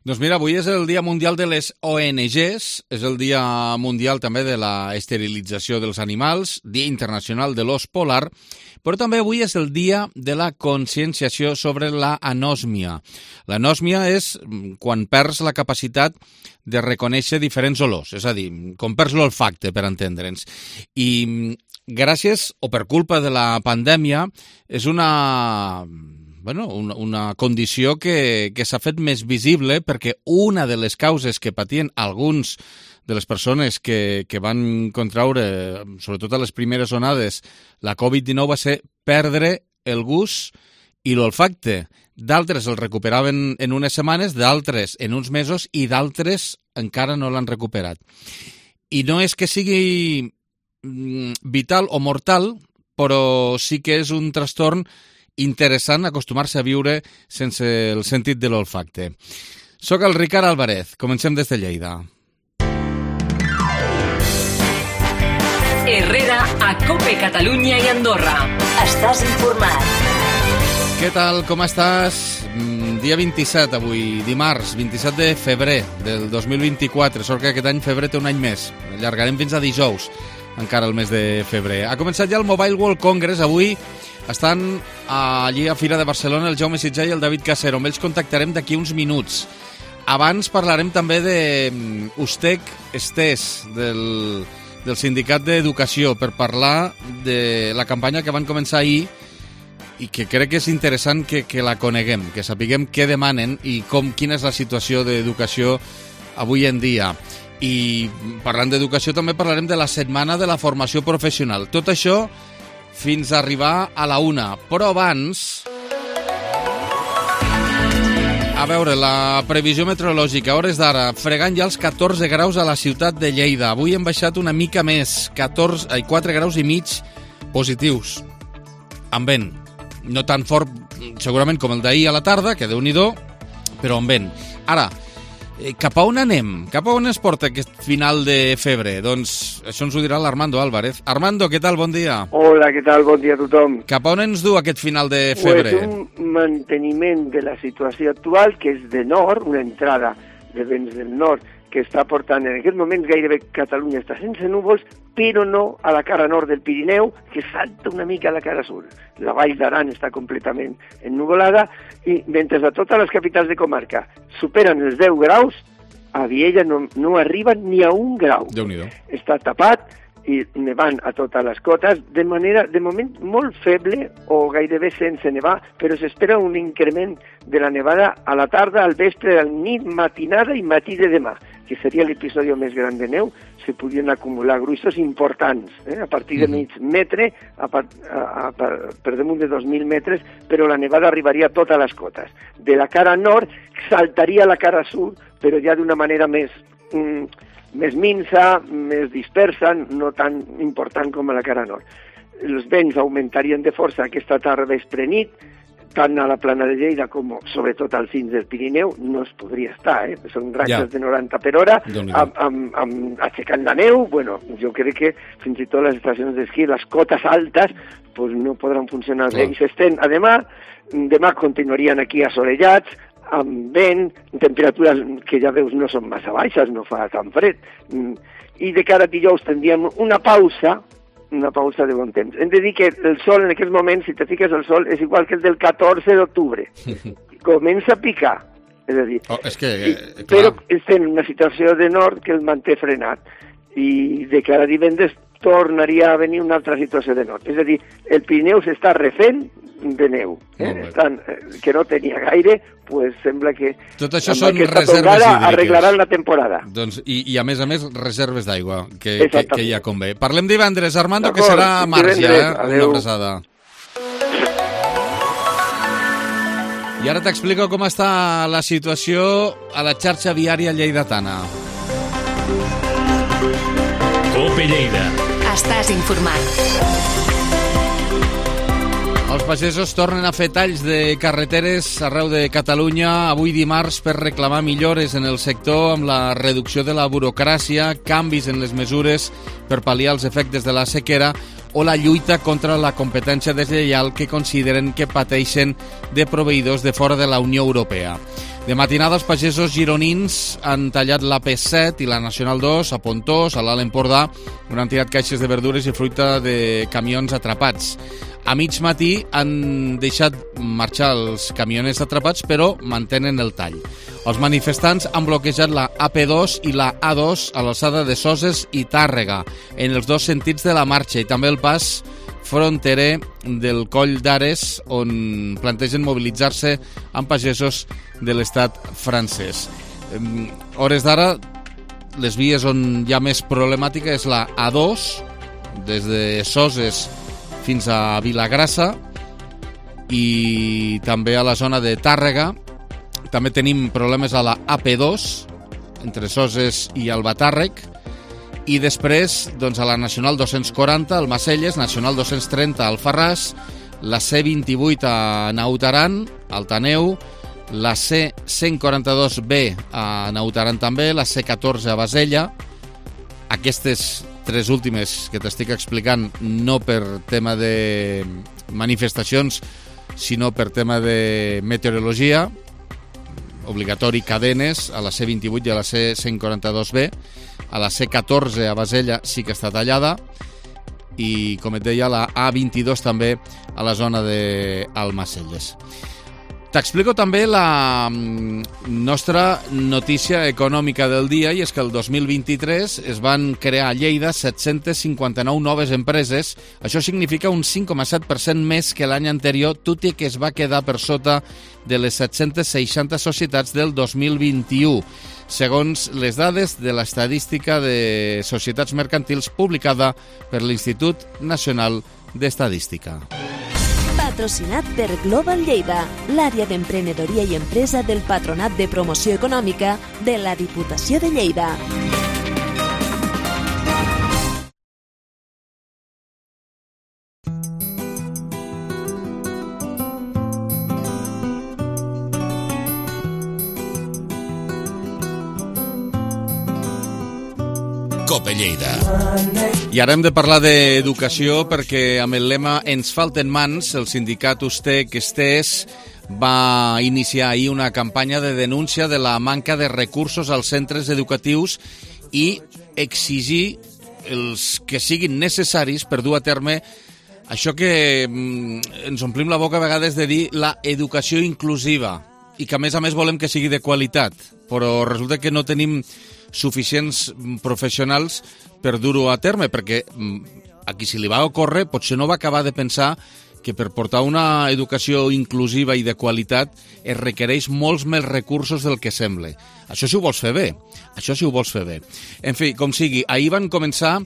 Doncs mira, avui és el Dia Mundial de les ONGs, és el Dia Mundial també de la esterilització dels animals, Dia Internacional de l'Ós Polar, però també avui és el Dia de la conscienciació sobre la anòsmia. L'anòsmia és quan perds la capacitat de reconèixer diferents olors, és a dir, quan perds l'olfacte, per entendre'ns. I gràcies o per culpa de la pandèmia és una condició que s'ha fet més visible perquè una de les causes que patien alguns de les persones que van contraure, sobretot a les primeres onades, la Covid-19 va ser perdre el gust i l'olfacte. D'altres el recuperaven en unes setmanes, d'altres en uns mesos i d'altres encara no l'han recuperat. I no és que sigui vital o mortal, però sí que és un trastorn interessant acostumar-se a viure sense el sentit de l'olfacte. Soc el Ricard Álvarez. Comencem des de Lleida. Herrera a COPE Catalunya i Andorra. Estàs informat. Què tal, com estàs? Dia 27 avui, dimarts, 27 de febrer del 2024. Sort que aquest any febrer té un any més. Allargarem fins a dijous, encara el mes de febrer. Ha començat ja el Mobile World Congress. Avui estan allí a Fira de Barcelona el Jaume Sitjar i el David Casero. Amb ells contactarem d'aquí uns minuts. Abans parlarem també d'Ustec Estés, del Sindicat d'Educació, per parlar de la campanya que van començar ahir i que crec que és interessant que la coneguem, que sapiguem què demanen i quina és la situació d'educació avui en dia. I parlant d'educació també parlarem de la setmana de la formació professional. Tot això fins a arribar a la 1. Però abans, a veure, la previsió meteorològica, a hores d'ara, fregant ja els 14 graus a la ciutat de Lleida. Avui hem baixat una mica més, 4 graus i mig positius, amb vent. No tan fort, segurament, com el d'ahir a la tarda, que Déu-n'hi-do, però amb vent. Ara, cap a on anem? Cap a on es porta aquest final de febrer? Doncs això ens ho dirà l'Armando Álvarez. Armando, què tal? Bon dia. Hola, què tal? Bon dia a tothom. Cap a on ens du aquest final de febrer? Pues un manteniment de la situació actual, que és de nord, una entrada de vents del nord, que està portant en aquest moment gairebé Catalunya està sense núvols, però no a la cara nord del Pirineu, que salta una mica a la cara sud. La Vall d'Aran està completament ennuvolada i mentre a totes les capitals de comarca superen els 10 graus, a Viella no arriben ni a 1 grau. Déu-n'hi-do. Està tapat i nevant a totes les cotes, de manera, de moment, molt feble o gairebé sense nevar, però s'espera un increment de la nevada a la tarda, al vespre, a la nit, matinada i matí de demà, que seria l'episodi més gran de neu. Se podien acumular gruixos importants, a partir de mig metre, per damunt de 2.000 metres, però la nevada arribaria a totes les cotes. De la cara nord saltaria a la cara sud, però ja d'una manera més minsa, més dispersa, no tan important com a la cara nord. Els vents augmentarien de força aquesta tarda vespre nit, tant a la plana de Lleida com sobretot als cims del Pirineu, no es podria estar, són ratxes de 90 per hora, aixecant la neu. Bueno, jo crec que fins i tot les estacions d'esquí, les cotes altes, pues no podran funcionar bé. I s'estén a demà continuarien aquí assolellats, amb vent, temperatures que ja veus no són massa baixes, no fa tan fred. I de cara a dijous tindríem una pausa de bon temps. Hem de dir que el sol en aquest moment, si te fiques el sol, és igual que el del 14 d'octubre. Comença a picar. És a dir, però estem en una situació de nord que el manté frenat. I de cara a divendres tornaria a venir una altra situació de nord. És a dir, el Pirineu s'està refent de neu, que no tenia gaire, pues sembla que tot això són reserves hídriques. Arreglaran la temporada. Doncs, i a més reserves d'aigua, que ja convé. Parlem divendres, Armando, que serà març ja, una abraçada. I ara t'explico com està la situació a la xarxa viària lleidatana. COPE Lleida. Estàs informat. El Els pagesos tornen a fer talls de carreteres arreu de Catalunya avui dimarts per reclamar millores en el sector amb la reducció de la burocràcia, canvis en les mesures per pal·liar els efectes de la sequera o la lluita contra la competència deslleial que consideren que pateixen de proveïdors de fora de la Unió Europea. De matinada, els pagesos gironins han tallat l'AP7 i la Nacional 2 a Pontós, a l'Alt Empordà, on han tirat caixes de verdures i fruita de camions atrapats. A mig matí han deixat marxar els camioners atrapats, però mantenen el tall. Els manifestants han bloquejat la AP2 i la A2 a l'alçada de Soses i Tàrrega, en els dos sentits de la marxa, i també el pas fronterer del Coll d'Ares, on plantegen mobilitzar-se amb pagesos de l'estat francès. Hores d'ara, les vies on hi ha més problemàtica és la A2, des de Soses fins a Vilagrassa, i també a la zona de Tàrrega. També tenim problemes a la AP2, entre Soses i Albatàrrec, i després doncs, a la Nacional 240 al Macelles, Nacional 230 al Farràs, la C28 a Naut Aran, al Taneu, la C142B a Naut Aran també, la C14 a Basella. Aquestes tres últimes que t'estic explicant no per tema de manifestacions, sinó per tema de meteorologia, obligatori cadenes a la C28 i a la C142B. A la C14 a Basella sí que està tallada, i, com et deia, la A22 també a la zona d'Almacelles. T'explico també la nostra notícia econòmica del dia, i és que el 2023 es van crear a Lleida 759 noves empreses. Això significa un 5,7% més que l'any anterior, tot i que es va quedar per sota de les 760 societats del 2021, segons les dades de l'Estadística de Societats Mercantils publicada per l'Institut Nacional d'Estadística. Patrocinat per Global Lleida, l'àrea d'emprenedoria i empresa del Patronat de Promoció Econòmica de la Diputació de Lleida. Cope Lleida. I ara hem de parlar d'educació perquè amb el lema Ens falten mans, el sindicat USTEC-STES va iniciar ahir una campanya de denúncia de la manca de recursos als centres educatius i exigir els que siguin necessaris per dur a terme això que ens omplim la boca a vegades de dir la educació inclusiva, i que a més volem que sigui de qualitat, però resulta que no tenim suficients professionals per dur-ho a terme, perquè a qui se li va ocórrer potser no va acabar de pensar que per portar una educació inclusiva i de qualitat es requereix molts més recursos del que sembla. Això si ho vols fer bé. En fi, com sigui, ahir van començar,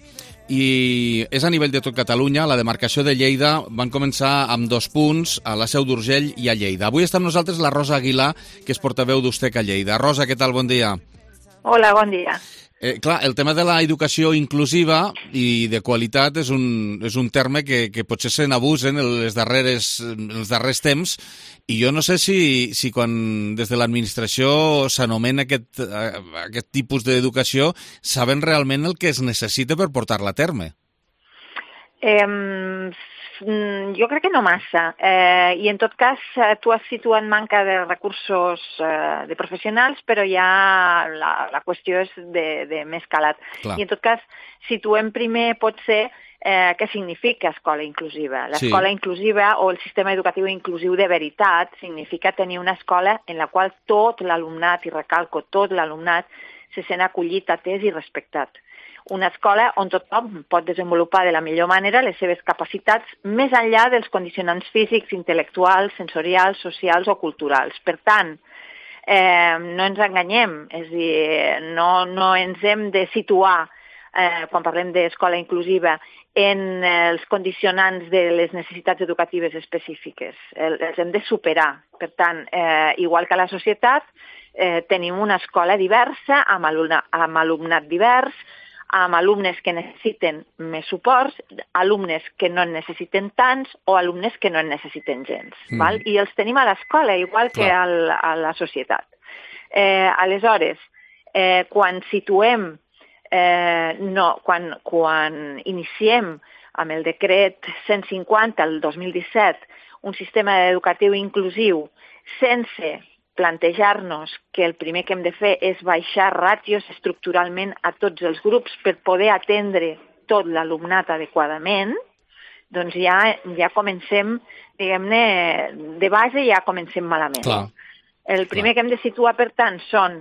i és a nivell de tot Catalunya, la demarcació de Lleida, van començar amb 2 punts, a la Seu d'Urgell i a Lleida. Avui està amb nosaltres la Rosa Aguilar, que és portaveu d'USTEC a Lleida. Rosa, què tal? Bon dia. Hola, bon dia. Clar, el tema de la educació inclusiva i de qualitat és un terme que potser se n'abusen els darrers temps, i jo no sé si quan des de l'administració s'anomena aquest tipus d'educació saben realment el que es necessita per portar-la a terme. Jo crec que no massa, i en tot cas tu has situat manca de recursos de professionals, però ja la qüestió és de més calat. Clar. I en tot cas situem primer potser què significa escola inclusiva. L'escola inclusiva o el sistema educatiu inclusiu de veritat significa tenir una escola en la qual tot l'alumnat, i recalco, tot l'alumnat, se sent acollit, atès i respectat. Una escola on tothom pot desenvolupar de la millor manera les seves capacitats més enllà dels condicionants físics, intel·lectuals, sensorials, socials o culturals. Per tant, no ens enganyem, és a dir, no ens hem de situar, quan parlem d'escola inclusiva, en els condicionants de les necessitats educatives específiques. Els hem de superar. Per tant, igual que a la societat, tenim una escola diversa, amb alumnat divers, amb alumnes que necessiten més suports, alumnes que no en necessiten tants o alumnes que no en necessiten gens. Val? I els tenim a l'escola, igual que a la societat. Aleshores, quan situem, quan iniciem amb el decret 150 el 2017 un sistema educatiu inclusiu sense plantejar-nos que el primer que hem de fer és baixar ràtios estructuralment a tots els grups per poder atendre tot l'alumnat adequadament, doncs ja comencem, diguem-ne, de base ja comencem malament. Clar. El primer que hem de situar, per tant, són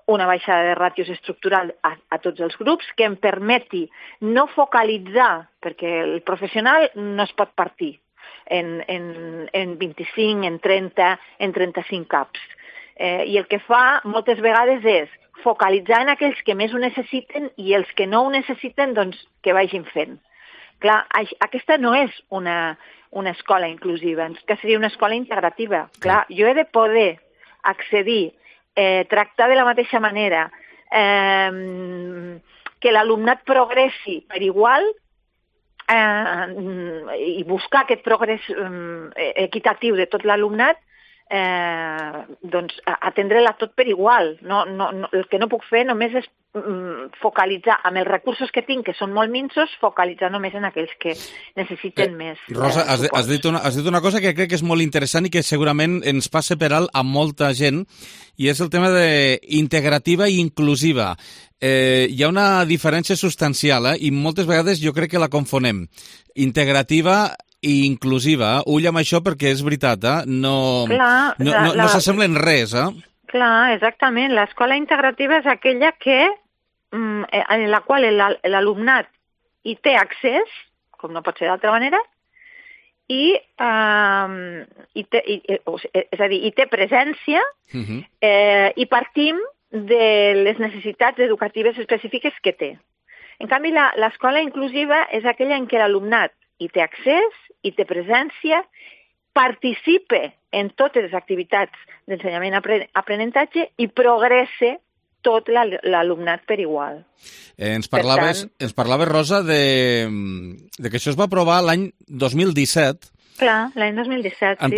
una baixada de ràtios estructural a tots els grups que em permeti no focalitzar, perquè el professional no es pot partir en 25, en 30, en 35 caps. I el que fa moltes vegades és focalitzar en aquells que més ho necessiten i els que no ho necessiten, doncs, que vagin fent. Clar, aquesta no és una escola inclusiva, que seria una escola integrativa. Clar, jo he de poder accedir, tractar de la mateixa manera, que l'alumnat progressi per igual i buscar aquest progrés equitatiu de tot l'alumnat, doncs atendre-la tot per igual. El que no puc fer només és focalitzar amb els recursos que tinc, que són molt minsos, focalitzar només en aquells que necessiten més. Rosa, has dit una cosa que crec que és molt interessant i que segurament ens passa per alt a molta gent, i és el tema d'integrativa i inclusiva. Hi ha una diferència substancial, i moltes vegades jo crec que la confonem. Integrativa i inclusiva. Ull amb això perquè és veritat, no s'assemblen res. Clar, exactament. L'escola integrativa és aquella en la qual l'alumnat hi té accés, com no pot ser d'altra manera, hi té presència, i partim de les necessitats educatives específiques que té. En canvi, l'escola inclusiva és aquella en què l'alumnat hi té accés, hi té presència, participe en totes les activitats d'ensenyament-aprenentatge i progresse tot l'alumnat per igual. Ens parlaves, Rosa, de que això es va aprovar l'any 2017. Clar, l'any 2017. Han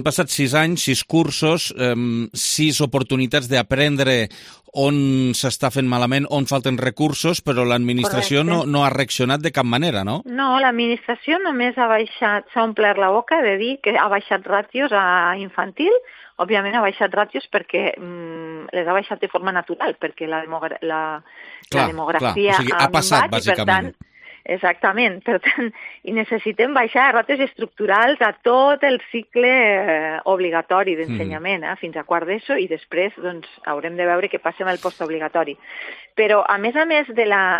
passat 6 anys, 6 cursos, 6 oportunitats d'aprendre on s'està fent malament, on falten recursos, però l'administració no ha reaccionat de cap manera, no? No, l'administració només s'ha omplert la boca de dir que ha baixat ràtios a infantil. Òbviament ha baixat ràtios perquè les ha baixat de forma natural, perquè la demografia o sigui, ha passat, bàsicament. Exactament, per tant, i necessitem baixar ràtios estructurals a tot el cicle obligatori d'ensenyament, fins a quart d'ESO, i després doncs, haurem de veure què passa amb el postobligatori. Però, a més de la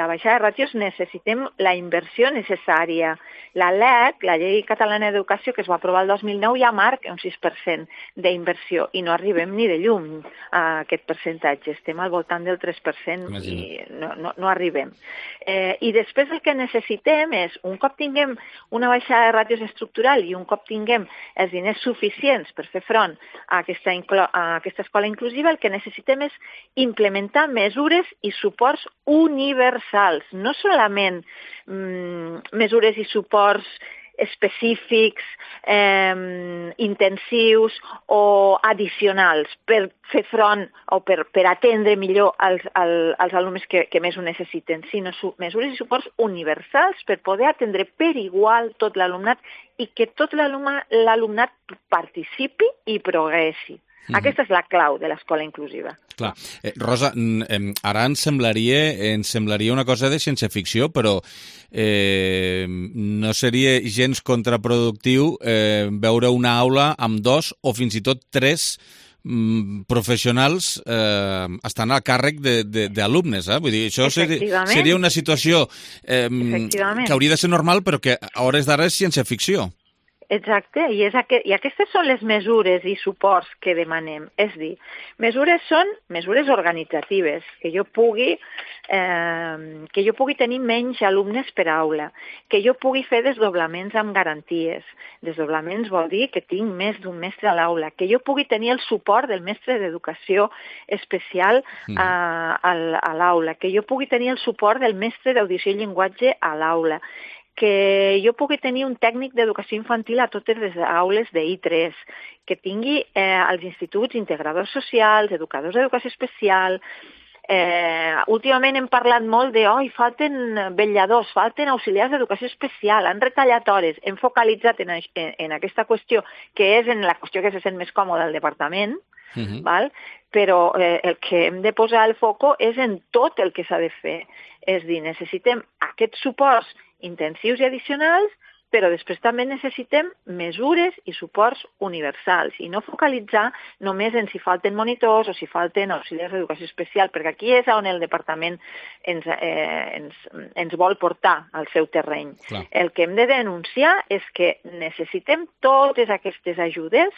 baixada de ràtios, necessitem la inversió necessària. La LEC, la Llei Catalana d'Educació, que es va aprovar el 2009, ja marca un 6% d'inversió, i no arribem ni de llum a aquest percentatge. Estem al voltant del 3% i no arribem. I després el que necessitem és, un cop tinguem una baixada de ràtios estructural i un cop tinguem els diners suficients per fer front a aquesta escola inclusiva, el que necessitem és implementar mesures i suports universals, no solament mesures i suports específics, intensius o addicionals per fer front o per atendre millor als alumnes que més ho necessiten, sinó mesures i suports universals per poder atendre per igual tot l'alumnat i que tot l'alumnat participi i progressi. Aquesta és la clau de l'escola inclusiva. Clar. Rosa, ara ens semblaria una cosa de ciència-ficció, però no seria gens contraproductiu veure una aula amb 2 o fins i tot 3 professionals estan al càrrec d'alumnes. Vull dir, això seria una situació que hauria de ser normal, però que a hores d'ara és ciència-ficció. Exacte, i aquestes són les mesures i suports que demanem. És dir, mesures són mesures organitzatives, que jo pugui que jo pugui tenir menys alumnes per aula, que jo pugui fer desdoblaments amb garanties. Desdoblaments vol dir que tinc més d'un mestre a l'aula, que jo pugui tenir el suport del mestre d'educació especial a l'aula, que jo pugui tenir el suport del mestre d'audició i llenguatge a l'aula, que jo pugui tenir un tècnic d'educació infantil a totes les aules d'I3, que tingui als instituts integradors socials, educadors d'educació especial. Últimament hem parlat molt de falten vetlladors, falten auxiliars d'educació especial, han retallat hores, hem focalitzat en aquesta qüestió, que és en la qüestió que se sent més còmoda al departament, val? Però el que hem de posar el foco és en tot el que s'ha de fer. És dir, necessitem aquests suports intensius i addicionals, però després també necessitem mesures i suports universals i no focalitzar només en si falten monitors o si falten auxiliars d'educació especial, perquè aquí és on el departament ens vol portar al seu terreny. Clar. El que hem de denunciar és que necessitem totes aquestes ajudes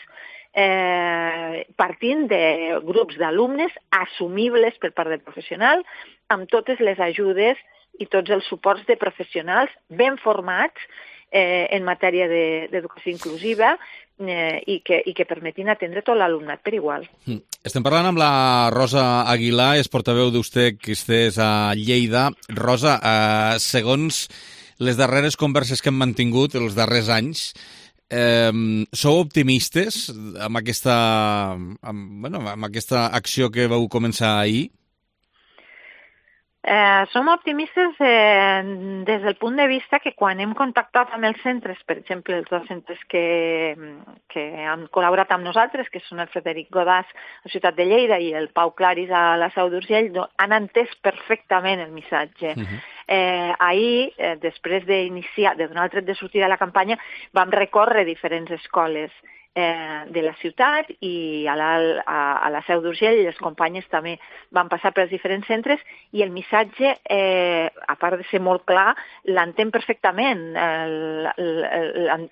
partint de grups d'alumnes assumibles per part del professional, amb totes les ajudes i tots els suports de professionals ben formats en matèria d'educació inclusiva i que permetin atendre tot l'alumnat per igual. Estem parlant amb la Rosa Aguilar, és portaveu d'USTEC, que estès a Lleida. Rosa, segons les darreres converses que hem mantingut els darrers anys, sou optimistes amb aquesta acció que vau començar ahir? Som optimistes des del punt de vista que quan hem contactat amb els centres, per exemple, els dos centres que han col·laborat amb nosaltres, que són el Frederic Godàs a la ciutat de Lleida i el Pau Claris a la Seu d'Urgell, han entès perfectament el missatge. Ahir, després d'iniciar, de donar el tret de sortida a la campanya, vam recórrer diferents escoles de la ciutat i a la Seu d'Urgell les companyes també van passar pels diferents centres i el missatge, a part de ser molt clar, l'entén perfectament,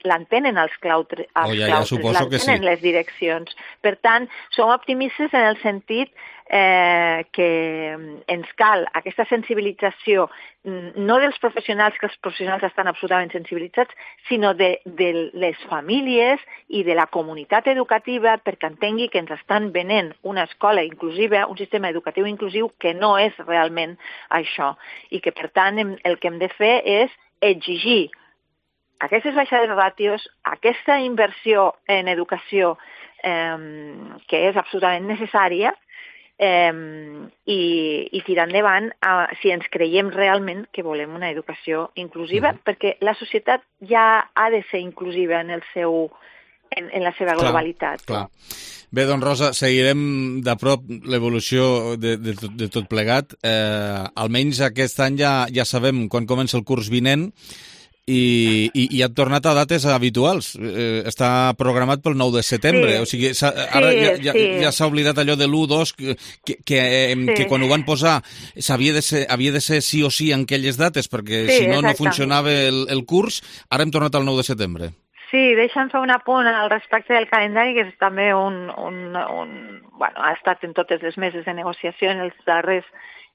l'entenen els claustres, l'entenen les direccions. Per tant, som optimistes en el sentit que ens cal aquesta sensibilització no dels professionals, que els professionals estan absolutament sensibilitzats, sinó de les famílies i de la comunitat educativa perquè entengui que ens estan venent una escola inclusiva, un sistema educatiu inclusiu que no és realment això i que per tant el que hem de fer és exigir aquestes baixades de ràtios, aquesta inversió en educació que és absolutament necessària i tirar endavant si ens creiem realment que volem una educació inclusiva, perquè la societat ja ha de ser inclusiva en la seva globalitat. Clar. Bé, doncs Rosa, seguirem de prop l'evolució de tot plegat. Almenys aquest any ja sabem quan comença el curs vinent i han tornat a dates habituals. Està programat pel 9 de setembre. O sigui, ara ja s'ha oblidat allò de l'1-2 que quan ho van posar havia de ser sí o sí en aquelles dates, perquè si no funcionava el curs. Ara hem tornat al 9 de setembre. Sí, deixa'm fer un apunt al respecte del calendari, que és també ha estat en totes les meses de negociació en els darrers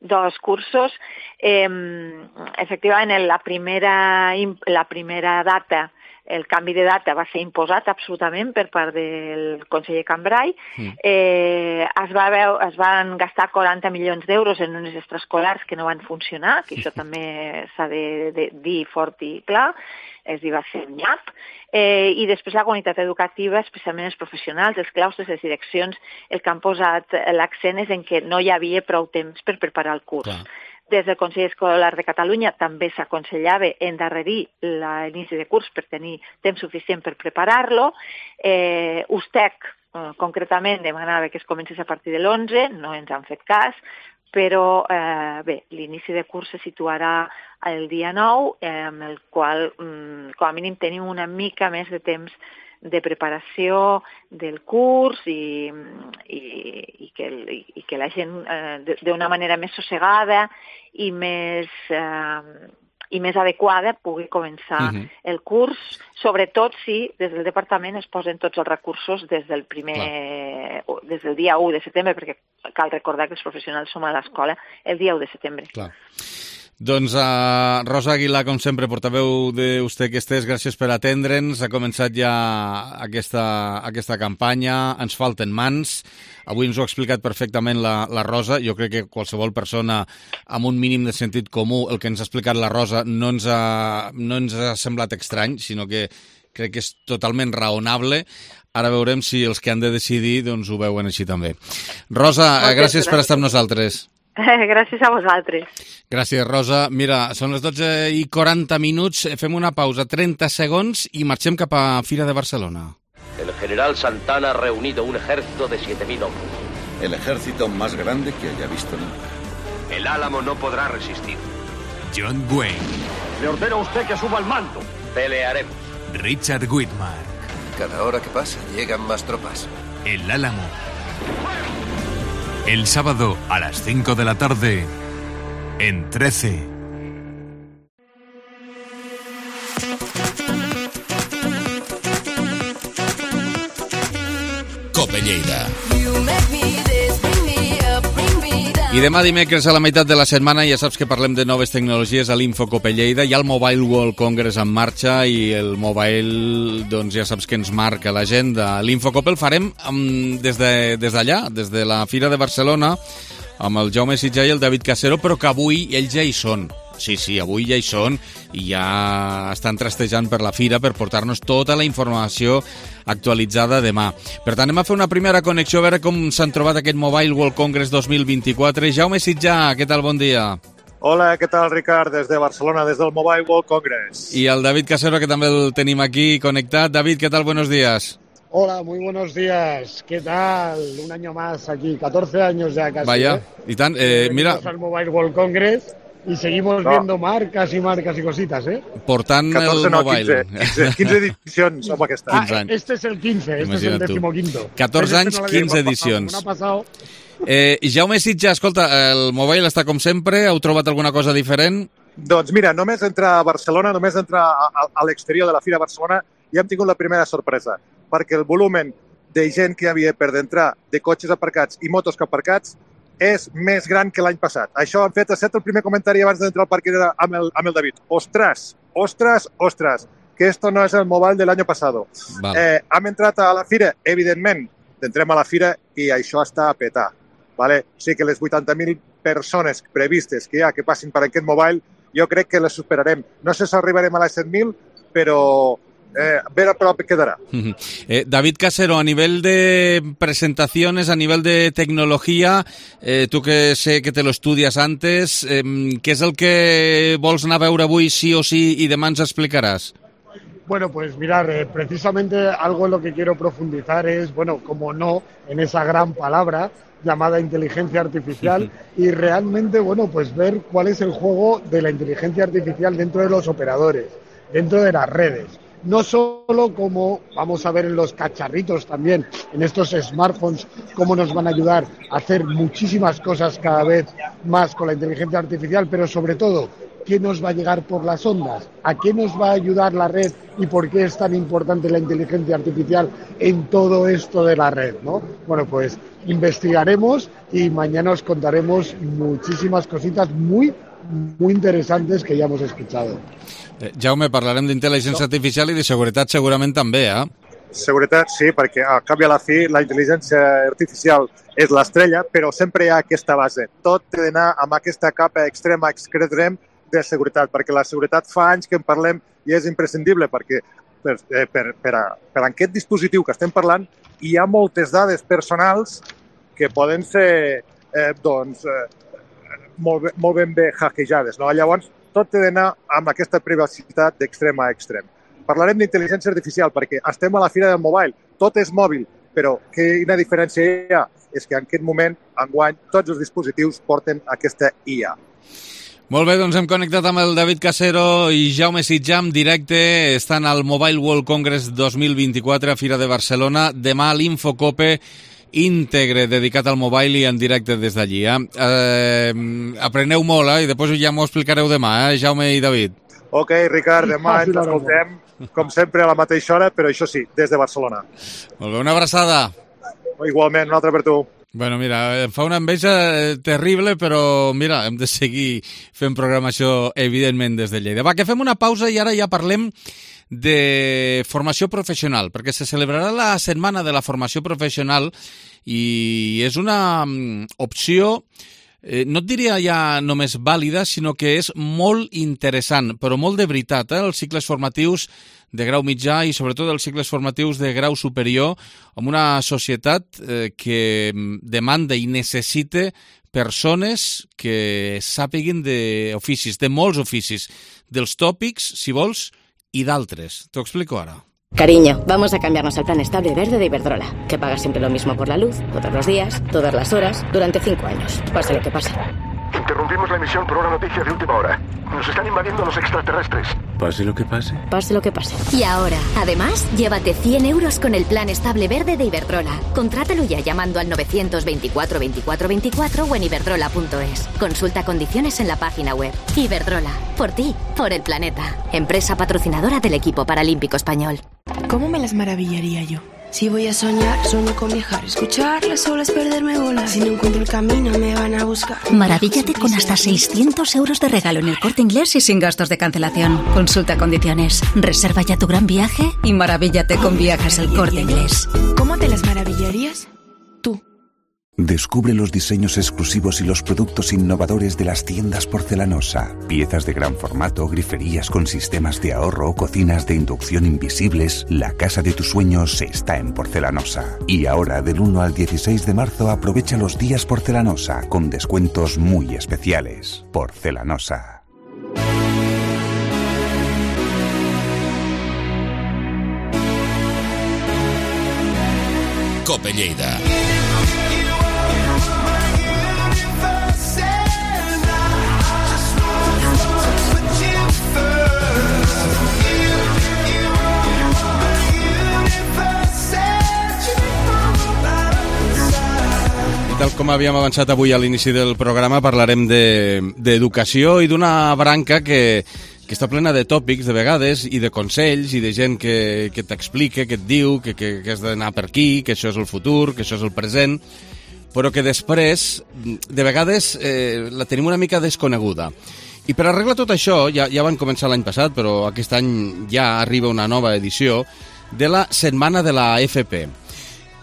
2 cursos. Efectivament, la primera data, el canvi de data va ser imposat absolutament per part del conseller Cambray. Es van gastar 40 milions d'euros en unes extraescolars que no van funcionar, que això també s'ha de dir fort i clar, és dir, va ser un nyap. I després la comunitat educativa, especialment els professionals, els claustres, les direccions, el que han posat l'accent és en que no hi havia prou temps per preparar el curs. Clar. Des del Consell Escolar de Catalunya també s'aconsellava endarrerir l'inici de curs per tenir temps suficient per preparar-lo. USTEC, concretament, demanava que es comencés a partir de l'11, no ens han fet cas, però l'inici de curs se situarà el dia 9, amb el qual com a mínim tenim una mica més de temps de preparació del curs i que la gent d'una manera més sossegada i més adequada pugui començar el curs, sobretot si des del departament es posen tots els recursos des del primer des del dia 1 de setembre, perquè cal recordar que els professionals som a l'escola el dia 1 de setembre. Clar. Doncs Rosa Aguilar, com sempre, portaveu d'Usted que estés, gràcies per atendre'ns. Ha començat ja aquesta campanya, ens falten mans. Avui ens ho ha explicat perfectament la Rosa. Jo crec que qualsevol persona amb un mínim de sentit comú, el que ens ha explicat la Rosa no ens ha semblat estrany, sinó que crec que és totalment raonable. Ara veurem si els que han de decidir doncs, ho veuen així també. Rosa, gràcies per estar amb nosaltres. Gràcies a vosaltres. Gràcies, Rosa. Mira, són les 12:40, fem una pausa, 30 segons, i marxem cap a Fira de Barcelona. El general Santana ha reunido un ejército de 7.000 hombres. El ejército más grande que haya visto nunca. El Álamo no podrá resistir. John Wayne. Le ordeno a usted que suba al mando. Pelearemos. Richard Widmark. Cada hora que pasa llegan más tropas. El Álamo. El sábado a las 5 de la tarde en 13. Cope Lleida. I demà dimecres a la meitat de la setmana ja saps que parlem de noves tecnologies a l'Infocope Lleida. Hi ha el Mobile World Congress en marxa i el mobile, doncs ja saps que ens marca l'agenda. L'Infocope el farem des d'allà, des de la Fira de Barcelona, amb el Jaume Sitjà i el David Casero, però que avui ells ja hi són. Sí, avui ja hi són i ja estan trastejant per la fira per portar-nos tota la informació actualitzada demà. Per tant, anem a fer una primera connexió a veure com s'han trobat aquest Mobile World Congress 2024. Jaume Sitjà, què tal? Bon dia. Hola, què tal, Ricard? Des de Barcelona, des del Mobile World Congress. I el David Casero, que també el tenim aquí connectat. David, què tal? Buenos días. Hola, muy buenos días. ¿Qué tal? Un año más aquí, 14 años ya casi. Vaya, y tan, mira... al Mobile World Congress y seguimos viendo marcas y cositas, ¿eh? Portant 14, el mobile. 15 edicions amb aquesta. Este es el 15, este es el 15º. 14 anys, 15 edicions. Jaume Sitjà, escolta, el mobile està com sempre, heu trobat alguna cosa diferent? Doncs mira, només entrar a Barcelona, només entrar a l'exterior de la Fira de Barcelona, ja hem tingut la primera sorpresa, perquè el volumen de gent que hi havia per d'entrar, de cotxes aparcats i motos aparcats, és més gran que l'any passat. Això han fet el primer comentari abans d'entrar al parc amb el David. Ostras, que esto no es el mobile del año pasado. Vale. Hem entrat a la fira, evidentment, entrem a la fira i això està a petar. Vale? O sigui que les 80.000 persones previstes que hi ha que passin per aquest mobile, jo crec que les superarem. No sé si arribarem a les 100.000, però ver a prop quedará. David Casero, a nivel de presentaciones, a nivel de tecnología, tú que sé que te lo estudias antes, ¿qué es el que vols anar a veure avui sí o sí y demà ens explicarás? Bueno, pues mirar, precisamente algo en lo que quiero profundizar es, bueno, como no, en esa gran palabra llamada inteligencia artificial y realmente, bueno, pues ver cuál es el juego de la inteligencia artificial dentro de los operadores, dentro de las redes. No solo como vamos a ver en los cacharritos también, en estos smartphones, cómo nos van a ayudar a hacer muchísimas cosas cada vez más con la inteligencia artificial, pero sobre todo, ¿qué nos va a llegar por las ondas? ¿A qué nos va a ayudar la red y por qué es tan importante la inteligencia artificial en todo esto de la red, ¿no? Bueno, pues investigaremos y mañana os contaremos muchísimas cositas muy interesantes que ya hemos escuchado. Jaume, parlarem d'intel·ligència artificial i de seguretat segurament també, Seguretat sí, perquè a cap i a la fi la intel·ligència artificial és l'estrella, però sempre hi ha aquesta base. Tot té d'anar amb aquesta capa extrema de seguretat, perquè la seguretat fa anys que en parlem i és imprescindible, perquè per aquest dispositiu que estem parlant hi ha moltes dades personals que poden ser molt ben hackejades, no? Llavors, tot té d'anar amb aquesta privacitat d'extrem a extrem. Parlarem d'intel·ligència artificial perquè estem a la fira del mobile, tot és mòbil, però quina diferència hi ha? És que en aquest moment, enguany, tots els dispositius porten aquesta IA. Molt bé, doncs hem connectat amb el David Casero i Jaume Sitjà en directe. Estan al Mobile World Congress 2024 a Fira de Barcelona. Demà l'Infocope íntegre dedicat al mobile i en directe des d'allí. Apreneu molt, i després ja m'ho explicareu demà, Jaume i David. Ok, Ricard, demà ens escoltem, com sempre, a la mateixa hora, però això sí, des de Barcelona. Molt bé, una abraçada. Igualment, un altre per tu. Bueno, mira, em fa una enveja terrible, però mira, hem de seguir fent programació, evidentment, des de Lleida. Va, que fem una pausa i ara ja parlem de formació professional, perquè se celebrarà la Setmana de la Formació Professional i és una opció, no et diria ja només vàlida, sinó que és molt interessant, però molt de veritat, els cicles formatius de grau mitjà i sobretot els cicles formatius de grau superior amb una societat que demanda i necessita persones que sàpiguen d'oficis, de molts oficis, dels tòpics, si vols, i d'altres. T'ho explico ara. Cariño, vamos a cambiarnos al plan estable verde de Iberdrola, que paga siempre lo mismo por la luz, todos los días, todas las horas, durante 5 años, pase lo que pase. Interrumpimos la emisión por una noticia de última hora. Nos están invadiendo los extraterrestres. Pase lo que pase. Pase lo que pase. Y ahora, además, llévate 100 euros con el plan estable verde de Iberdrola. Contrátalo ya llamando al 924 24 24 o en iberdrola.es. Consulta condiciones en la página web. Iberdrola, por ti, por el planeta. Empresa patrocinadora del equipo paralímpico español. ¿Cómo me las maravillaría yo? Si voy a soñar, sueño con viajar, escuchar las olas, perderme bolas. Si no encuentro el camino, me van a buscar. Maravíllate con hasta 600 euros de regalo en el Corte Inglés y sin gastos de cancelación. Consulta condiciones. Reserva ya tu gran viaje y maravíllate con Viajes El Corte Inglés. ¿Cómo te las maravillarías? Tú. Descubre los diseños exclusivos y los productos innovadores de las tiendas Porcelanosa. Piezas de gran formato, griferías con sistemas de ahorro, cocinas de inducción invisibles. La casa de tus sueños está en Porcelanosa. Y ahora, del 1 al 16 de marzo, aprovecha los días Porcelanosa con descuentos muy especiales. Porcelanosa. Cope Lleida. Tal com havíem avançat avui a l'inici del programa, parlarem d'educació i d'una branca que està plena de tòpics, de vegades, i de consells, i de gent que t'explica, que et diu que has d'anar per aquí, que això és el futur, que això és el present, però que després, de vegades, la tenim una mica desconeguda. I per arreglar tot això, ja van començar l'any passat, però aquest any ja arriba una nova edició, de la Setmana de la FP.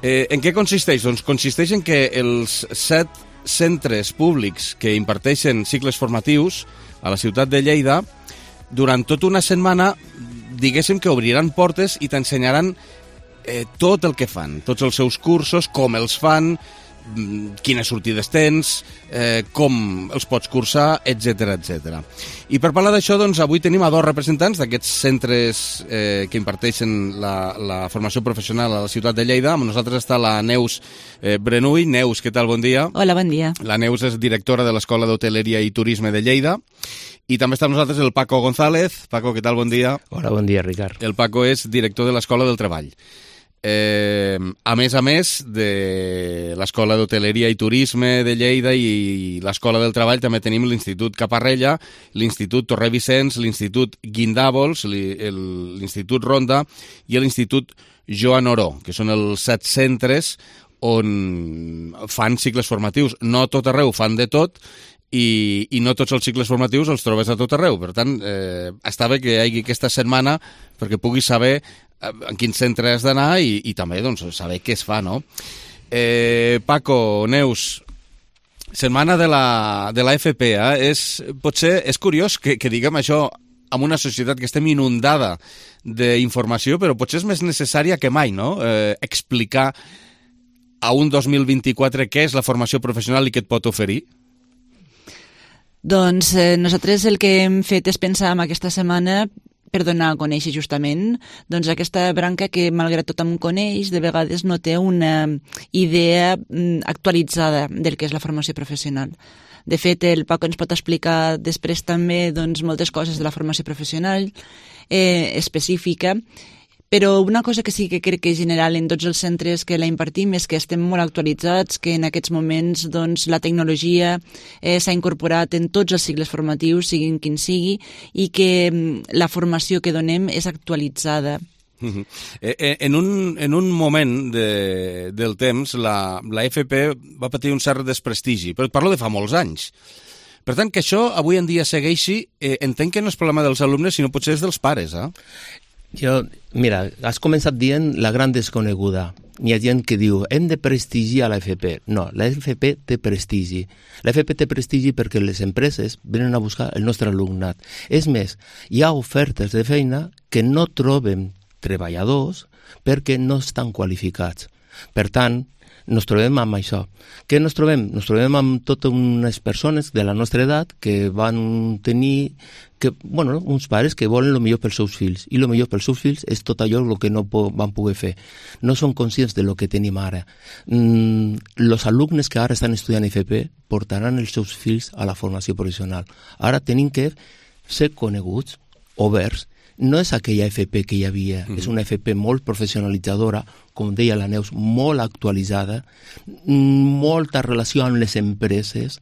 En què consisteix? Doncs consisteix en que els 7 centres públics que imparteixen cicles formatius a la ciutat de Lleida, durant tota una setmana, diguéssim que obriran portes i t'ensenyaran tot el que fan, tots els seus cursos, com els fan, quines sortides tens, com els pots cursar, etc etc. I per parlar d'això, doncs, avui tenim a 2 representants d'aquests centres que imparteixen la formació professional a la ciutat de Lleida. Amb nosaltres està la Neus Brenull. Neus, què tal? Bon dia. Hola, bon dia. La Neus és directora de l'Escola d'Hoteleria i Turisme de Lleida. I també està amb nosaltres el Paco González. Paco, què tal? Bon dia. Hola, bon dia, Ricard. El Paco és director de l'Escola del Treball. A més de l'Escola d'Hoteleria i Turisme de Lleida i l'Escola del Treball, també tenim l'Institut Caparrella, l'Institut Torre Vicenç, l'Institut Guindàvols, l'Institut Ronda i l'Institut Joan Oró, que són els 7 centres on fan cicles formatius. No a tot arreu fan de tot, i no tots els cicles formatius els trobes a tot arreu. Per tant, està bé que hi hagi aquesta setmana perquè puguis saber en quin centre has d'anar i també doncs, saber què es fa, no? Paco, Neus, setmana de la FP, potser és curiós que diguem això en una societat que estem inundada d'informació, però potser és més necessària que mai, no? Explicar a un 2024 què és la formació professional i què et pot oferir. Doncs nosaltres el que hem fet és pensar en aquesta setmana per donar a conèixer justament doncs, aquesta branca que, malgrat tot em coneix, de vegades no té una idea actualitzada del que és la formació professional. De fet, el Paco ens pot explicar després també doncs, moltes coses de la formació professional específica, però una cosa que sí que crec que és general en tots els centres que la impartim és que estem molt actualitzats, que en aquests moments doncs, la tecnologia s'ha incorporat en tots els cicles formatius, siguin quin sigui, i que la formació que donem és actualitzada. En un moment del temps, la FP va patir un cert desprestigi, però et parlo de fa molts anys. Per tant, que això avui en dia segueixi, entenc que no és problema dels alumnes, sinó potser és dels pares, Mira, has començat dient la gran desconeguda. Hi ha gent que diu, hem de prestigiar la FP. No, la FP té prestigi. La FP té prestigi perquè les empreses venen a buscar el nostre alumnat. És més, hi ha ofertes de feina que no troben treballadors perquè no estan qualificats. Per tant, ens trobem amb això. Què ens trobem? Ens trobem amb totes unes persones de la nostra edat que van tenir uns pares que volen el millor pels seus fills, i el millor pels seus fills és tot allò que no van poder fer. No són conscients de lo que tenim ara. Els alumnes que ara estan estudiant FP portaran els seus fills a la formació professional. Ara tenim que ser coneguts, oberts. No és aquella FP que hi havia, és una FP molt professionalitzadora, com deia la Neus, molt actualitzada, molta relació amb les empreses.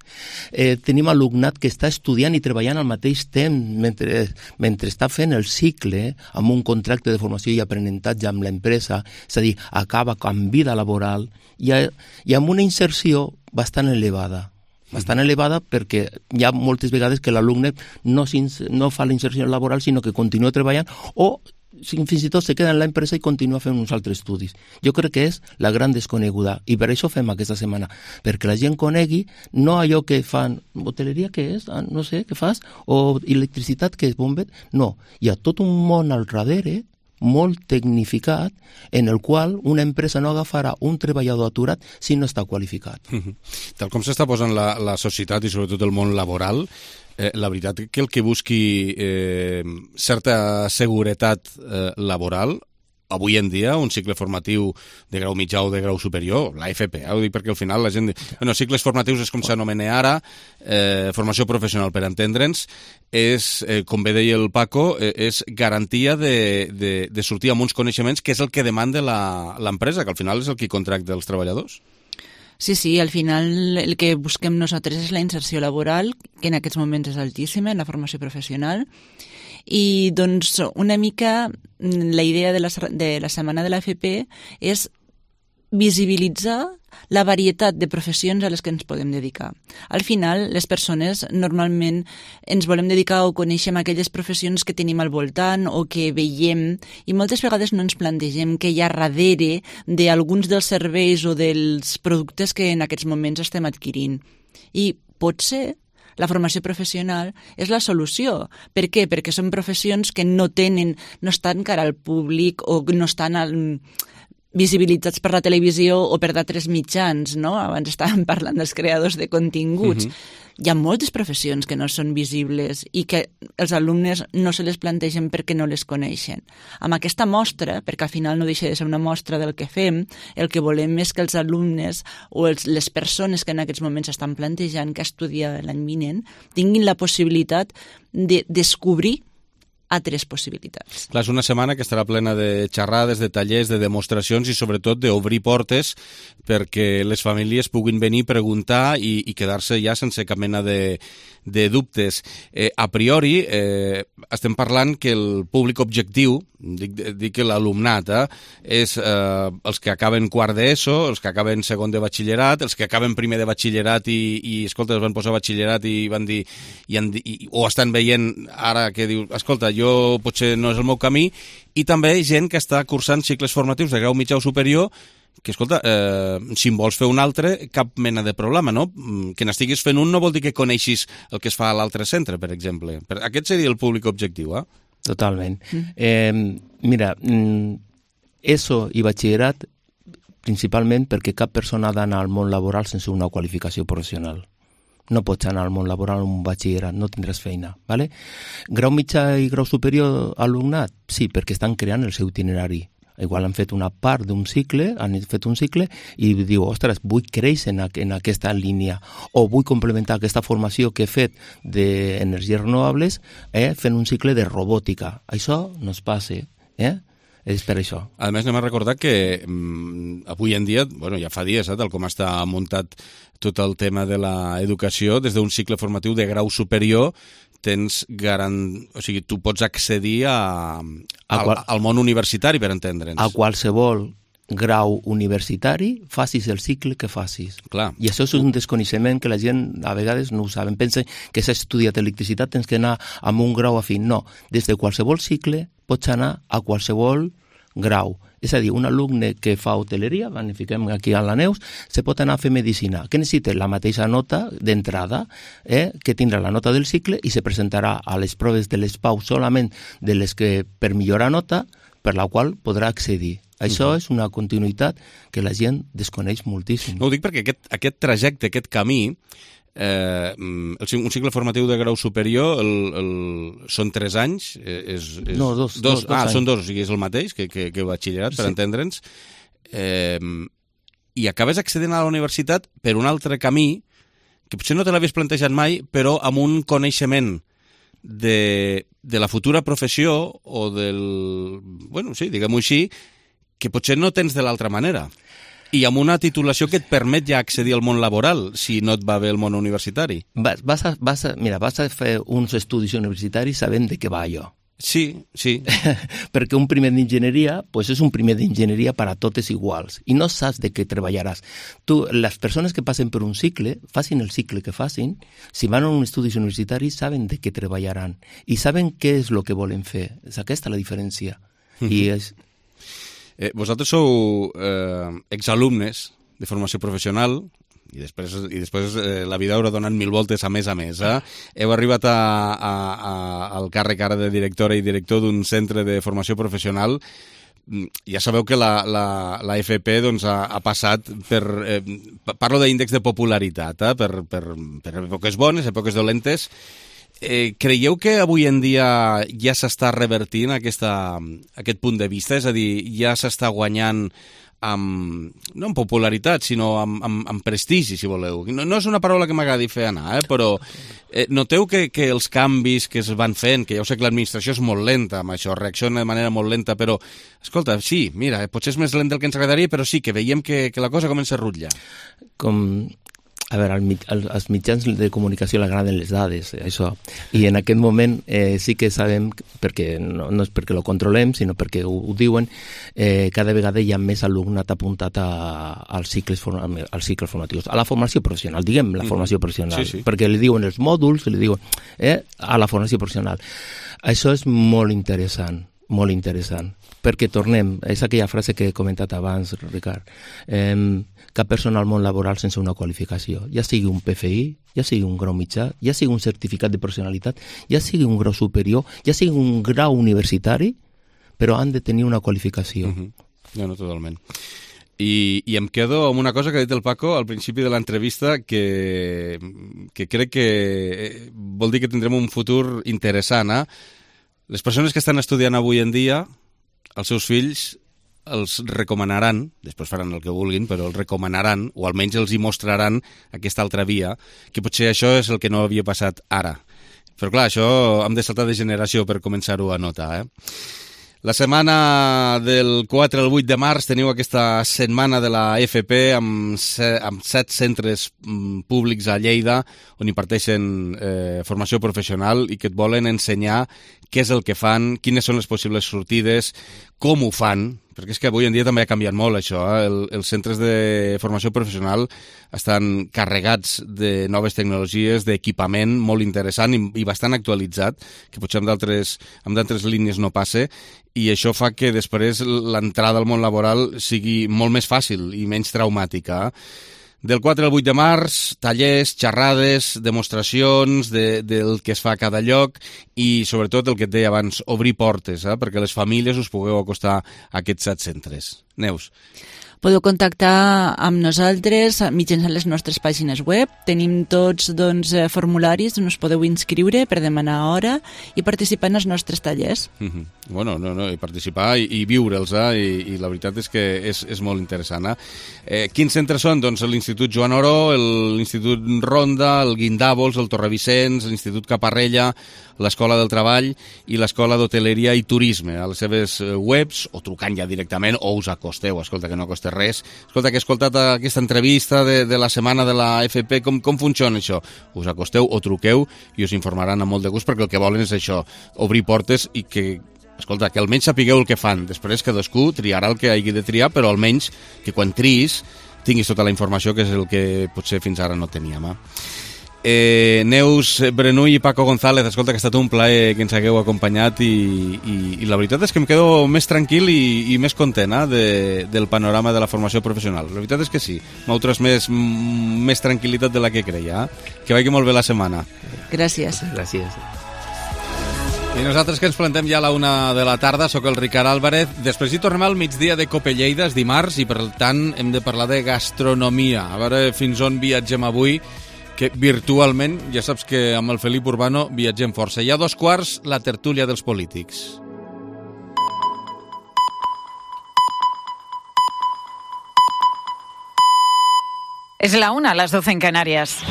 Tenim alumnat que està estudiant i treballant al mateix temps mentre està fent el cicle amb un contracte de formació i aprenentatge amb l'empresa, és a dir, acaba amb vida laboral i amb una inserció bastant elevada. Bastant elevada perquè hi ha moltes vegades que l'alumne no fa la inserció laboral sinó que continua treballant o fins i tot se queda en l'empresa i continua fent uns altres estudis. Jo crec que és la gran desconeguda i per això fem aquesta setmana, perquè la gent conegui no allò que fan, hoteleria què és? No sé, què fas? O electricitat què és? Bombet? No, hi ha tot un món al darrere molt tecnificat en el qual una empresa no agafarà un treballador aturat si no està qualificat. Tal com s'està posant la societat i sobretot el món laboral, la veritat que el que busqui certa seguretat laboral, avui en dia, un cicle formatiu de grau mitjà o de grau superior, la FP, ho dic perquè al final la gent... Bueno, cicles formatius és com s'anomena ara, formació professional per entendre'ns, és, com bé deia el Paco, és garantia de sortir amb uns coneixements que és el que demanda l'empresa, que al final és el que contracta els treballadors. Sí, al final el que busquem nosaltres és la inserció laboral, que en aquests moments és altíssima, en la formació professional, i doncs una mica la idea de la setmana de l'AFP és visibilitzar la varietat de professions a les que ens podem dedicar. Al final, les persones normalment ens volem dedicar o coneixem aquelles professions que tenim al voltant o que veiem i moltes vegades no ens plantegem què hi ha darrere d'alguns dels serveis o dels productes que en aquests moments estem adquirint. I potser la formació professional és la solució. Per què? Perquè són professions que no estan cara al públic o no estan visibilitzats per la televisió o per d'altres mitjans, no? Abans estàvem parlant dels creadors de continguts. Hi ha moltes professions que no són visibles i que els alumnes no se les plantegen perquè no les coneixen. Amb aquesta mostra, perquè al final no deixa de ser una mostra del que fem, el que volem és que els alumnes o les persones que en aquests moments estan plantejant que estudiar l'any vinent tinguin la possibilitat de descobrir altres possibilitats. Clar, és una setmana que estarà plena de xerrades, de tallers, de demostracions i sobretot d'obrir portes perquè les famílies puguin venir, preguntar i quedar-se ja sense cap mena de dubtes. A priori, estem parlant que el públic objectiu, dic que l'alumnat, és els que acaben quart d'ESO, els que acaben segon de batxillerat, els que acaben primer de batxillerat i escolta, es van posar batxillerat i van dir, o estan veient ara que diu, escolta, jo potser no és el meu camí, i també gent que està cursant cicles formatius de grau mitjà o superior que, escolta, si en vols fer un altre, cap mena de problema, no? Que n'estiguis fent un no vol dir que coneixis el que es fa a l'altre centre, per exemple. Aquest seria el públic objectiu, Totalment. Mira, ESO i batxillerat, principalment perquè cap persona ha d'anar al món laboral sense una qualificació professional. No pots anar al món laboral amb un batxillerat, no tindràs feina, ¿vale? Grau mitjà i grau superior alumnat? Sí, perquè estan creant el seu itinerari. Igual han fet una part d'un cicle, han fet un cicle i diu, ostres, vull créixer en aquesta línia o vull complementar aquesta formació que he fet d'energies renovables fent un cicle de robòtica. Això no es passa, és per això. A més, anem a recordar que avui en dia, bueno, ja fa dies, tal com està muntat tot el tema de l'educació, des d'un cicle formatiu de grau superior, tens o sigui, tu pots accedir al món universitari, per entendre'ns. A qualsevol grau universitari, facis el cicle que facis. Clar. I això és un desconeixement que la gent a vegades no ho saben. Pensa que s'ha estudiat electricitat, tens que anar amb un grau afín. No, des de qualsevol cicle pots anar a qualsevol grau. És a dir, un alumne que fa hoteleria, fiquem aquí a la Neus, se pot anar a fer medicina. Que necessita la mateixa nota d'entrada, que tindrà la nota del cicle i se presentarà a les proves de les PAU solament de les que per millorar nota, per la qual podrà accedir. Això és una continuïtat que la gent desconeix moltíssim. No ho dic perquè aquest trajecte, aquest camí, un cicle formatiu de grau superior són 3 anys? No, dos anys. Són 2, o sigui, és el mateix que batxillerat, per entendre'ns. I acabes accedint a la universitat per un altre camí que potser no te l'havies plantejat mai, però amb un coneixement de la futura professió o diguem-ho així, que potser no tens de l'altra manera. I amb una titulació que et permet ja accedir al món laboral, si no et va bé el món universitari. Vas a fer uns estudis universitaris sabent de què va allò. Sí. Perquè un primer d'enginyeria és un primer d'enginyeria per a totes iguals i no saps de què treballaràs. Les persones que passen per un cicle, facin el cicle que facin, si van a un estudis universitaris saben de què treballaran i saben què és el que volen fer. És aquesta la diferència. I és... Vosaltres sou exalumnes de formació professional i després la vida haurà donat 1000 voltes a més. Heu arribat al càrrec ara de directora i director d'un centre de formació professional. Ja sabeu que la FP ha passat per... Parlo d'índex de popularitat, per èpoques bones, èpoques dolentes. Creieu que avui en dia ja s'està revertint aquest punt de vista? És a dir, ja s'està guanyant no amb popularitat, sinó amb prestigi, si voleu. No és una paraula que m'agradi fer anar, però noteu que els canvis que es van fent, que ja ho sé que l'administració és molt lenta amb això, reacciona de manera molt lenta, però, escolta, sí, mira, potser és més lent del que ens agradaria, però sí que veiem que la cosa comença a rutllar. A veure, als mitjans de comunicació li agraden les dades, això. I en aquest moment sí que sabem, perquè no és perquè ho controlem, sinó perquè ho diuen, cada vegada hi ha més alumnat apuntat als cicles formatius, a la formació professional, diguem la formació professional, perquè li diuen els mòduls, li diuen a la formació professional. Això és molt interessant, perquè tornem, és aquella frase que he comentat abans, Ricard, cap persona al món laboral sense una qualificació, ja sigui un PFI, ja sigui un grau mitjà, ja sigui un certificat de professionalitat, ja sigui un grau superior, ja sigui un grau universitari, però han de tenir una qualificació. No, totalment. I em quedo amb una cosa que ha dit el Paco al principi de l'entrevista que crec que vol dir que tindrem un futur interessant. Les persones que estan estudiant avui en dia, els seus fills els recomanaran, després faran el que vulguin, però els recomanaran, o almenys els hi mostraran aquesta altra via, que potser això és el que no havia passat ara. Però clar, això hem de saltar de generació per començar-ho a notar. La setmana del 4 al 8 de març teniu aquesta setmana de la FP amb 7 centres públics a Lleida on imparteixen formació professional i que et volen ensenyar què és el que fan, quines són les possibles sortides, com ho fan, perquè és que avui en dia també ha canviat molt això. Els centres de formació professional estan carregats de noves tecnologies, d'equipament molt interessant i bastant actualitzat, que potser amb d'altres línies no passa, i això fa que després l'entrada al món laboral sigui molt més fàcil i menys traumàtica. Del 4 al 8 de març, tallers, xerrades, demostracions del que es fa a cada lloc i, sobretot, el que et deia abans, obrir portes, perquè les famílies us pugueu acostar a aquests 7 centres. Neus. Podeu contactar amb nosaltres mitjançant les nostres pàgines web. Tenim tots formularis on us podeu inscriure per demanar hora i participar en els nostres tallers. Bueno, i participar i viure'ls, i la veritat és que és molt interessant. Quins centres són? Doncs l'Institut Joan Oró, l'Institut Ronda, el Guindabols, el Torrevicenç, l'Institut Caparrella, l'Escola del Treball i l'Escola d'Hoteleria i Turisme. A les seves webs, o trucant ja directament, o us acosteu, escolta, que no costa de res. Escolta, que he escoltat aquesta entrevista de la setmana de la FP, com funciona això? Us acosteu o truqueu i us informaran amb molt de gust, perquè el que volen és això, obrir portes i que, escolta, que almenys sapigueu el que fan. Després cadascú triarà el que hagi de triar, però almenys que quan triïs tinguis tota la informació, que és el que potser fins ara no teníem. Neus Brenull i Paco González, escolta, que ha estat un plaer que ens hagueu acompanyat i la veritat és que em quedo més tranquil i més content del panorama de la formació professional. La veritat és que sí, m'heu transmès més tranquil·litat de la que creia. Que vagi molt bé la setmana. Gràcies. Gràcies. I nosaltres que ens plantem ja a la 1 de la tarda, sóc el Ricard Álvarez. Després hi tornem al migdia de Cope Lleida, és dimarts, i per tant hem de parlar de gastronomia. A veure fins on viatgem avui, que virtualment, ja saps que amb el Felip Urbano viatgem força. I a 2:15, la tertúlia dels polítics. Es la 1, las 12 en Canarias.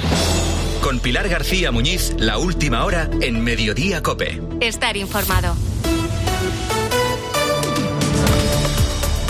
Con Pilar García Muñiz, la última hora en Mediodía COPE. Estar informado.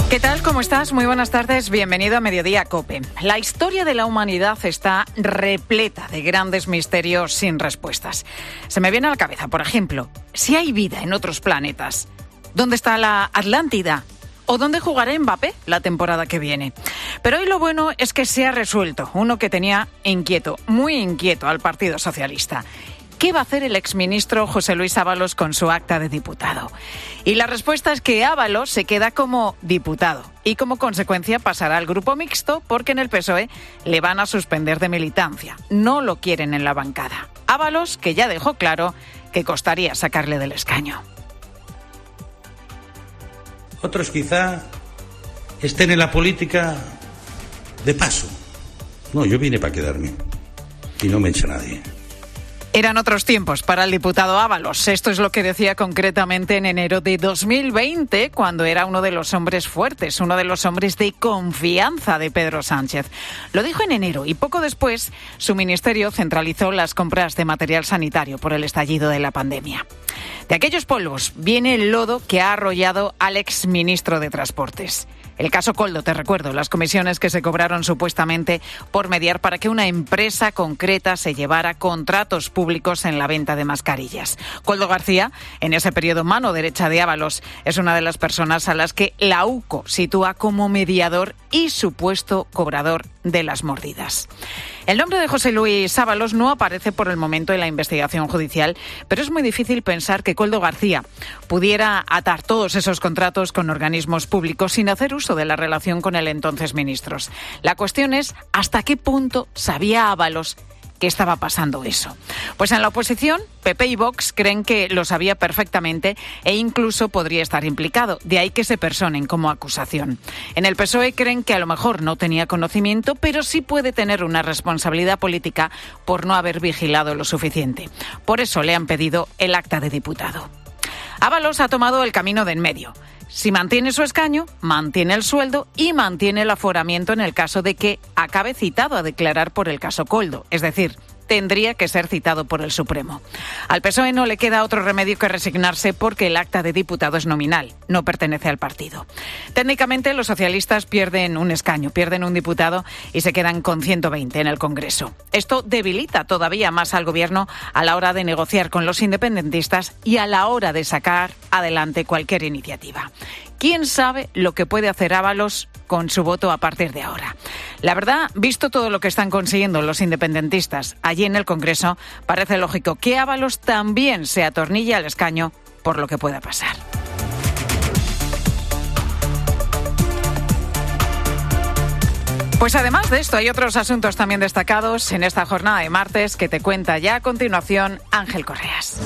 ¿Qué tal? ¿Cómo estás? Muy buenas tardes. Bienvenido a Mediodía COPE. La historia de la humanidad está repleta de grandes misterios sin respuestas. Se me viene a la cabeza, por ejemplo, si hay vida en otros planetas. ¿Dónde está la Atlántida? ¿O dónde jugará Mbappé la temporada que viene? Pero hoy lo bueno es que se ha resuelto uno que tenía inquieto, muy inquieto al Partido Socialista. ¿Qué va a hacer el exministro José Luis Ábalos con su acta de diputado? Y la respuesta es que Ábalos se queda como diputado y como consecuencia pasará al grupo mixto porque en el PSOE le van a suspender de militancia. No lo quieren en la bancada. Ábalos, que ya dejó claro que costaría sacarle del escaño. Otros quizá estén en la política de paso. No, yo vine para quedarme y no me echa nadie. Eran otros tiempos para el diputado Ábalos. Esto es lo que decía concretamente en enero de 2020, cuando era uno de los hombres fuertes, uno de los hombres de confianza de Pedro Sánchez. Lo dijo en enero y poco después su ministerio centralizó las compras de material sanitario por el estallido de la pandemia. De aquellos polvos viene el lodo que ha arrollado al exministro de Transportes. El caso Koldo, te recuerdo, las comisiones que se cobraron supuestamente por mediar para que una empresa concreta se llevara contratos públicos en la venta de mascarillas. Koldo García, en ese periodo mano derecha de Ábalos, es una de las personas a las que la UCO sitúa como mediador y supuesto cobrador de las mordidas. El nombre de José Luis Ábalos no aparece por el momento en la investigación judicial, pero es muy difícil pensar que Koldo García pudiera atar todos esos contratos con organismos públicos sin hacer uso de la relación con el entonces ministro. La cuestión es hasta qué punto sabía Ábalos que estaba pasando eso. Pues en la oposición, PP y Vox creen que lo sabía perfectamente e incluso podría estar implicado, de ahí que se personen como acusación. En el PSOE creen que a lo mejor no tenía conocimiento, pero sí puede tener una responsabilidad política por no haber vigilado lo suficiente. Por eso le han pedido el acta de diputado. Ábalos ha tomado el camino de en medio. Si mantiene su escaño, mantiene el sueldo y mantiene el aforamiento en el caso de que acabe citado a declarar por el caso Koldo. Es decir, tendría que ser citado por el Supremo. Al PSOE no le queda otro remedio que resignarse porque el acta de diputado es nominal, no pertenece al partido. Técnicamente los socialistas pierden un escaño, pierden un diputado y se quedan con 120 en el Congreso. Esto debilita todavía más al gobierno a la hora de negociar con los independentistas y a la hora de sacar adelante cualquier iniciativa. ¿Quién sabe lo que puede hacer Ábalos con su voto a partir de ahora? La verdad, visto todo lo que están consiguiendo los independentistas allí en el Congreso, parece lógico que Ábalos también se atornille al escaño por lo que pueda pasar. Pues además de esto, hay otros asuntos también destacados en esta jornada de martes que te cuenta ya a continuación Ángel Correas.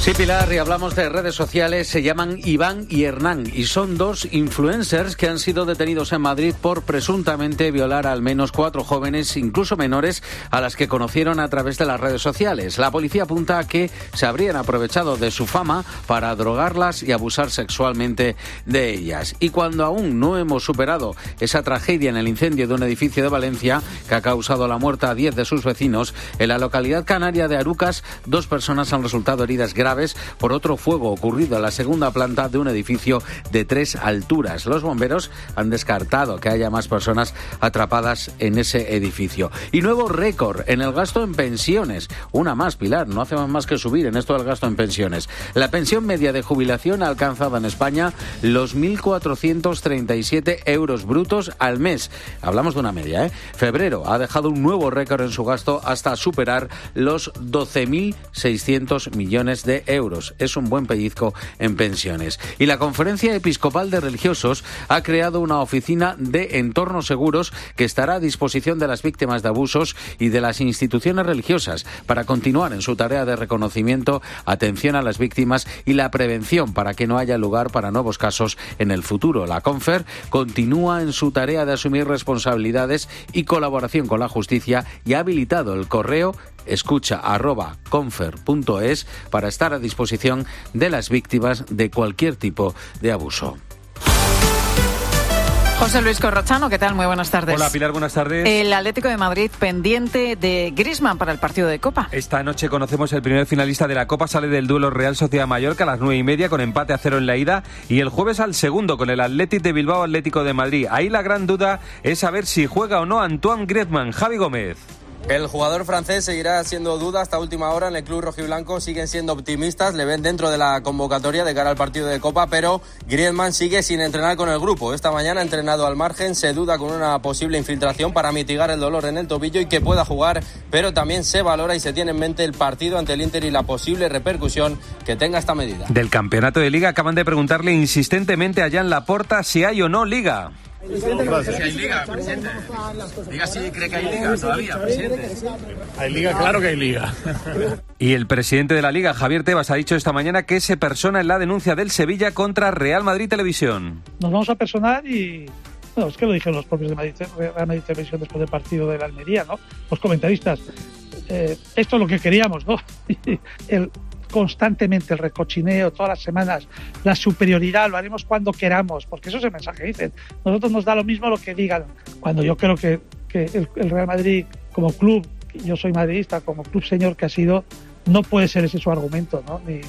Sí, Pilar, y hablamos de redes sociales. Se llaman Iván y Hernán y son dos influencers que han sido detenidos en Madrid por presuntamente violar a al menos 4 jóvenes, incluso menores, a las que conocieron a través de las redes sociales. La policía apunta a que se habrían aprovechado de su fama para drogarlas y abusar sexualmente de ellas. Y cuando aún no hemos superado esa tragedia en el incendio de un edificio de Valencia que ha causado la muerte a 10 de sus vecinos, en la localidad canaria de Arucas, 2 personas han resultado heridas graves graves por otro fuego ocurrido en la segunda planta de un edificio de 3 alturas. Los bomberos han descartado que haya más personas atrapadas en ese edificio. Y nuevo récord en el gasto en pensiones. Una más, Pilar, no hacemos más que subir en esto del gasto en pensiones. La pensión media de jubilación ha alcanzado en España los 1.437 euros brutos al mes. Hablamos de una media, ¿eh? Febrero ha dejado un nuevo récord en su gasto hasta superar los 12.600 millones de euros. Es un buen pellizco en pensiones. Y la Conferencia Episcopal de Religiosos ha creado una oficina de entornos seguros que estará a disposición de las víctimas de abusos y de las instituciones religiosas para continuar en su tarea de reconocimiento, atención a las víctimas y la prevención para que no haya lugar para nuevos casos en el futuro. La Confer continúa en su tarea de asumir responsabilidades y colaboración con la justicia y ha habilitado el correo escucha@confer.es para estar a disposición de las víctimas de cualquier tipo de abuso. José Luis Corrochano, ¿qué tal? Muy buenas tardes. Hola Pilar, buenas tardes. El Atlético de Madrid pendiente de Griezmann para el partido de Copa. Esta noche conocemos el primer finalista de la Copa, sale del duelo Real Sociedad-Mallorca a las 9:30 con empate a 0 en la ida y el jueves al segundo con el Athletic de Bilbao Atlético de Madrid. Ahí la gran duda es saber si juega o no Antoine Griezmann. Javi Gómez. El jugador francés seguirá siendo duda hasta última hora en el club rojiblanco. Siguen siendo optimistas, le ven dentro de la convocatoria de cara al partido de Copa, pero Griezmann sigue sin entrenar con el grupo. Esta mañana ha entrenado al margen, se duda con una posible infiltración para mitigar el dolor en el tobillo y que pueda jugar, pero también se valora y se tiene en mente el partido ante el Inter y la posible repercusión que tenga esta medida. Del campeonato de Liga acaban de preguntarle insistentemente a Jan Laporta si hay o no Liga. Si hay liga, presidente. Diga si cree que hay liga todavía, presidente. Hay liga, claro que hay liga. Y el presidente de la Liga, Javier Tebas, ha dicho esta mañana que se persona en la denuncia del Sevilla contra Real Madrid Televisión. Nos vamos a personar y... Bueno, es que lo dijeron los propios de Real Madrid Televisión después del partido de la Almería, ¿no? Los comentaristas. Esto es lo que queríamos, ¿no? Constantemente el recochineo, todas las semanas, la superioridad, lo haremos cuando queramos, porque eso es el mensaje que dicen. Nosotros nos da lo mismo lo que digan, cuando yo creo que el Real Madrid como club, yo soy madridista, como club señor que ha sido, no puede ser ese su argumento, ¿no? Ni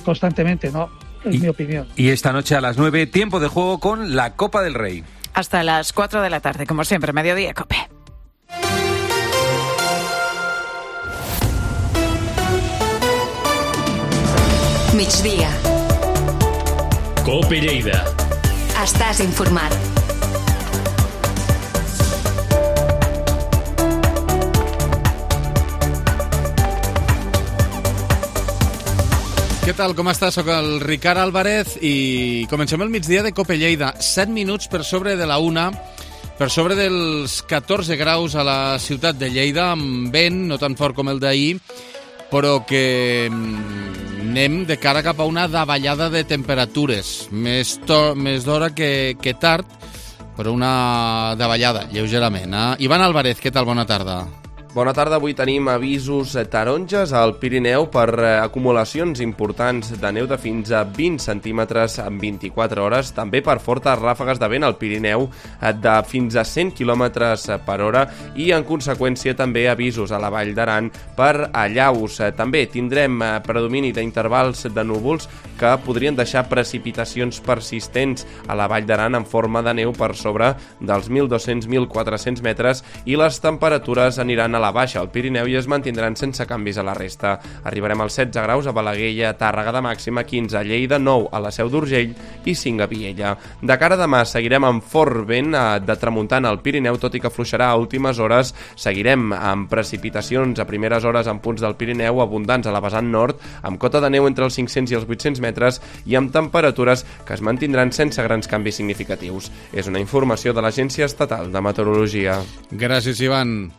constantemente, ¿no? Es mi opinión. Y esta noche a las 9, tiempo de juego con la Copa del Rey. Hasta las 4 de la tarde, como siempre, Mediodía Cope. Migdia. Cope Lleida. Estàs informat. Què tal, com estàs? Soc el Ricard Álvarez i comencem el migdia de Cope Lleida. 7 minuts per sobre de la 1, per sobre dels 14 graus a la ciutat de Lleida, amb vent, no tan fort com el d'ahir, però que anem de cara cap a una davallada de temperatures. Més d'hora que tard, però una davallada, lleugerament. Ivan Álvarez, què tal? Bona tarda. Bona tarda, avui tenim avisos taronges al Pirineu per acumulacions importants de neu de fins a 20 centímetres en 24 hores, també per fortes ràfegues de vent al Pirineu de fins a 100 quilòmetres per hora i en conseqüència també avisos a la Vall d'Aran per allaus. També tindrem predomini d'intervals de núvols que podrien deixar precipitacions persistents a la Vall d'Aran en forma de neu per sobre dels 1.200-1.400 metres i les temperatures aniran a la baixa al Pirineu i es mantindran sense canvis a la resta. Arribarem als 16 graus a Balaguer, a Tàrrega de màxima, 15 a Lleida, 9 a la Seu d'Urgell i 5 a Viella. De cara a demà seguirem amb fort vent de tramuntana al Pirineu, tot i que afluixarà a últimes hores. Seguirem amb precipitacions a primeres hores en punts del Pirineu abundants a la vessant nord, amb cota de neu entre els 500 i els 800 metres i amb temperatures que es mantindran sense grans canvis significatius. És una informació de l'Agència Estatal de Meteorologia. Gràcies, Ivan.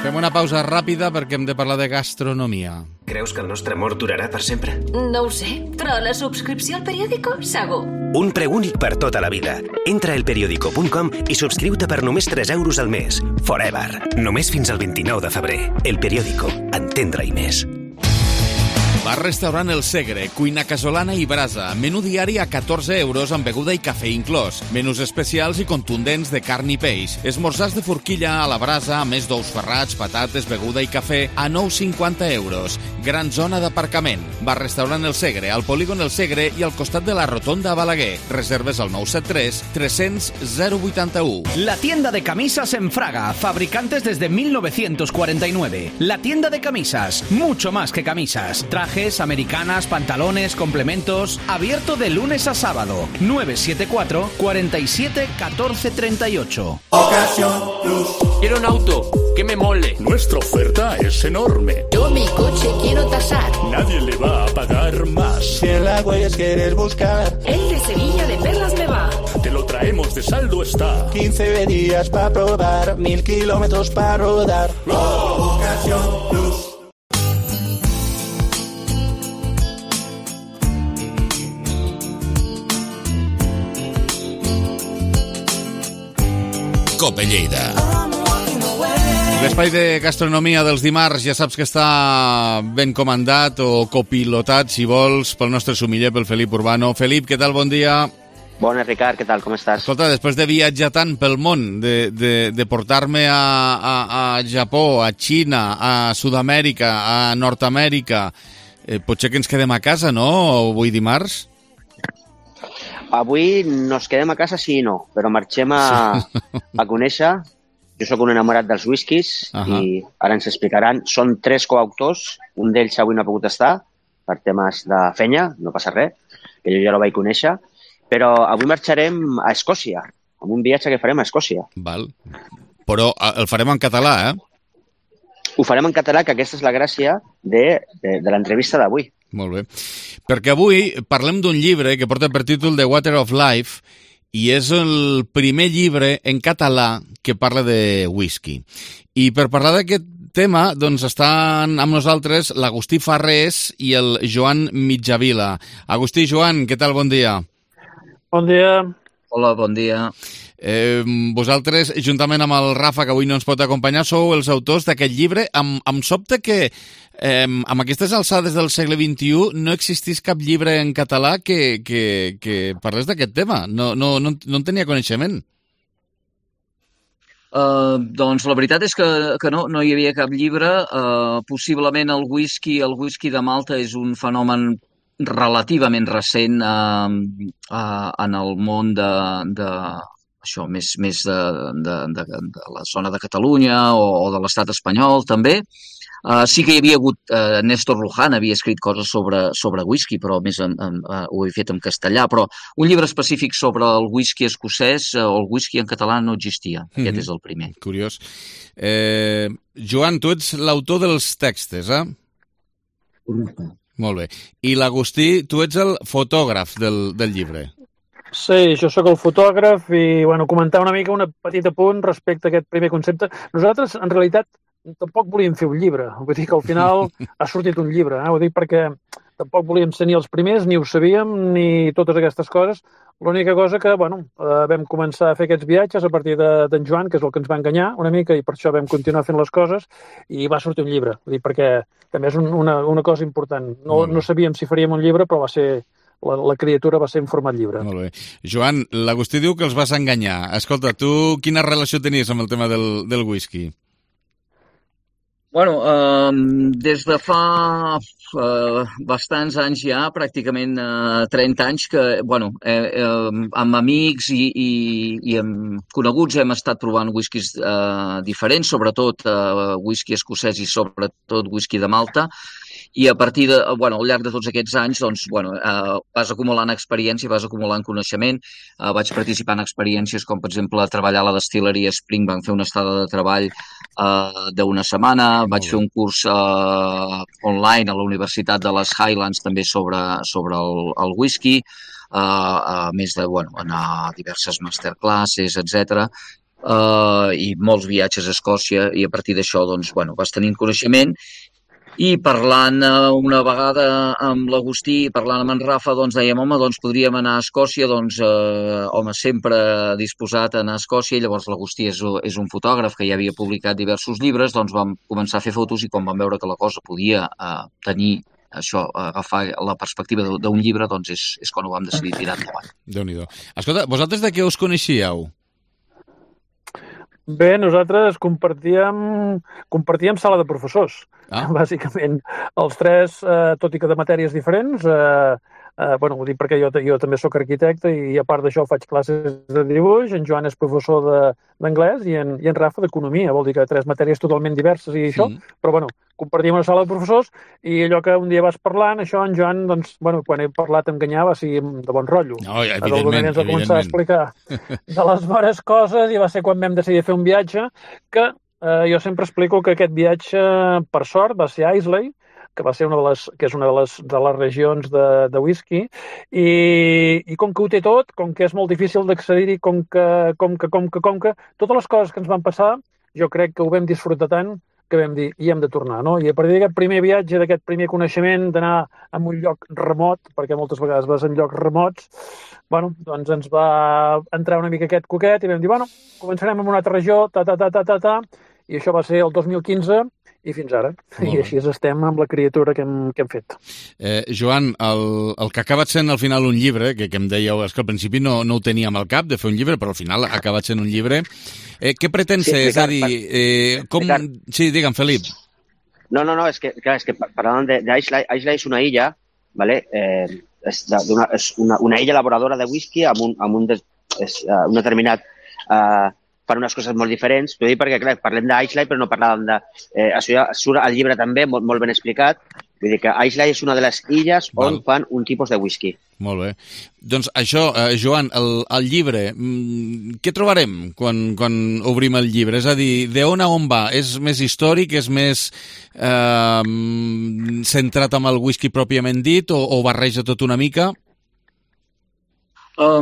Fem una pausa ràpida perquè hem de parlar de gastronomia. Creus que el nostre amor durarà per sempre? No ho sé, però la subscripció al periòdico, segur. Un preu únic per tota la vida. Entra a elperiodico.com i subscriu-te per només 3 euros al mes. Forever. Només fins al 29 de febrer. El Periódico. Entendre-hi més. Bar-restaurant El Segre, cuina casolana i brasa, menú diari a 14 euros amb beguda i cafè inclòs, menús especials i contundents de carn i peix, esmorzars de forquilla a la brasa, a més d'ous ferrats, patates, beguda i cafè a 9,50 euros. Gran zona d'aparcament. Bar-restaurant El Segre, al polígon El Segre i al costat de la rotonda a Balaguer. Reserves al 973 300 081. La tienda de camisas en Fraga, fabricantes desde 1949. La tienda de camisas, mucho más que camisas. Trajes, americanas, pantalones, complementos. Abierto de lunes a sábado. 974 47 14 38. Ocasión Plus. Quiero un auto que me mole. Nuestra oferta es enorme. Yo mi coche quiero tasar. Nadie le va a pagar más. Si en la Huellas quieres buscar, El de Sevilla de Perlas me va. te lo traemos de saldo está. 15 días para probar, 1000 kilómetros para rodar. Ocasión Plus. Cope Lleida. L'espai de gastronomia dels dimarts ja saps que està ben comandat o copilotat, si vols, pel nostre sumiller, pel Felip Urbano. Felip, què tal? Bon dia. Bones, Ricard, què tal? Com estàs? Escolta, després de viatjar tant pel món, de portar-me a Japó, a Xina, a Sud-amèrica, a Nord-amèrica, potser que ens quedem a casa, no? Avui dimarts? Avui nos quedem a casa sí i no, però marxem a conèixer. Jo sóc un enamorat dels whiskies i ara ens explicaran. Són 3 coautors, un d'ells avui no ha pogut estar per temes de fenya, no passa res, que jo ja el vaig conèixer, però avui marxarem a Escòcia, amb un viatge que farem a Escòcia. Val. Però el farem en català, eh? Ho farem en català, que aquesta és la gràcia de l'entrevista d'avui. Molt bé. Perquè avui parlem d'un llibre que porta per títol The Water of Life i és el primer llibre en català que parla de whisky. I per parlar d'aquest tema, doncs estan amb nosaltres l'Agustí Farrés i el Joan Mitjavila. Agustí, Joan, què tal? Bon dia. Bon dia. Hola, bon dia. Vosaltres, juntament amb el Rafa, que avui no ens pot acompanyar, sou els autors d'aquest llibre. Em sobta que amb aquestes alçades del segle XXI no existís cap llibre en català que parlés d'aquest tema. No en tenia coneixement. Doncs la veritat és que no hi havia cap llibre. Possiblement el whisky de Malta és un fenomen relativament recent en el món això, més de la zona de Catalunya o de l'estat espanyol, també. Sí que hi havia hagut, Néstor Luján havia escrit coses sobre whisky, però més ho he fet en castellà, però un llibre específic sobre el whisky escocès o el whisky en català no existia. Aquest és el primer. Curiós. Joan, tu ets l'autor dels textos, eh? Correcte. Molt bé. I l'Agustí, tu ets el fotògraf del llibre. Sí, jo sóc el fotògraf i comentar una mica un petit apunt respecte a aquest primer concepte. Nosaltres, en realitat, tampoc volíem fer un llibre. Vull dir que al final ha sortit un llibre. Ho dic perquè tampoc volíem ser ni els primers, ni ho sabíem, ni totes aquestes coses. L'única cosa que, vam començar a fer aquests viatges a partir d'en Joan, que és el que ens va enganyar una mica, i per això vam continuar fent les coses, i va sortir un llibre. Vull dir, perquè també és una cosa important. No sabíem si faríem un llibre, però va ser... La criatura va ser en format llibre. Molt bé. Joan, l'Agustí diu que els vas enganyar. Escolta, tu quina relació tenies amb el tema del whisky? Des de fa bastants anys ja, pràcticament 30 anys, que, amb amics i amb coneguts hem estat provant whiskies diferents, sobretot whisky escocès i sobretot whisky de Malta. I a partir de, al llarg de tots aquests anys, vas acumulant experiència, vas acumulant coneixement. Vaig participar en experiències com, per exemple, treballar a la destil·leria Springbank, fer una estada de treball d'una setmana. Vaig fer un curs online a la Universitat de les Highlands també sobre el whisky, a més d'anar a diverses masterclasses, etc. I molts viatges a Escòcia, i a partir d'això vas tenint coneixement. I parlant una vegada amb l'Agustí, parlant amb en Rafa, dèiem, podríem anar a Escòcia, sempre disposat a anar a Escòcia. Llavors l'Agustí és un fotògraf que ja havia publicat diversos llibres, vam començar a fer fotos i quan vam veure que la cosa podia tenir això, agafar la perspectiva d'un llibre, doncs és quan ho vam decidir tirar endavant. Déu-n'hi-do. Escolta, vosaltres de què us coneixíeu? Bé, nosaltres compartíem sala de professors, bàsicament. Els tres, tot i que de matèries diferents, ho dic perquè jo també sóc arquitecte i a part d'això faig classes de dibuix, en Joan és professor d'anglès i en Rafa d'economia, vol dir que tres matèries totalment diverses i això, però compartíem una sala de professors i allò que un dia vas parlant, això en Joan, doncs, quan he parlat amb Ganyà va ser de bon rotllo. No, evidentment. Ens va començar a explicar de les bones coses i va ser quan vam decidir fer un viatge que jo sempre explico que aquest viatge, per sort, va ser a Islay, que va ser que és una de les regions de whisky, i com que ho té tot, com que és molt difícil d'accedir-hi, com que totes les coses que ens van passar, jo crec que ho vam disfrutar tant que vam dir, hi hem de tornar, no? I a partir d'aquest primer viatge, d'aquest primer coneixement, d'anar a un lloc remot, perquè moltes vegades vas en llocs remots, doncs ens va entrar una mica aquest coquet i vam dir, començarem amb una altra regió, i això va ser el 2015, i fins ara. I així estem amb la criatura que hem fet. Joan, el que ha acabat sent al final un llibre, que em dèieu, és que al principi no ho teníem al cap de fer un llibre, però al final ha acabat sent un llibre. Què pretén ser? És a dir, com... Sí, digue'm, Felip. No, és que parlant d'Islay, Islay és una illa, ¿vale? És una illa elaboradora de whisky amb un determinat... fan unes coses molt diferents. T'ho dic perquè, clar, parlem d'Islay, però no parlàvem de... Això ja surt al llibre també, molt ben explicat. Vull dir que Islay és una de les illes on fan un tipus de whisky. Molt bé. Doncs això, Joan, el llibre, què trobarem quan obrim el llibre? És a dir, d'on a on va? És més històric, és més centrat amb el whisky pròpiament dit o barreja tot una mica? Ho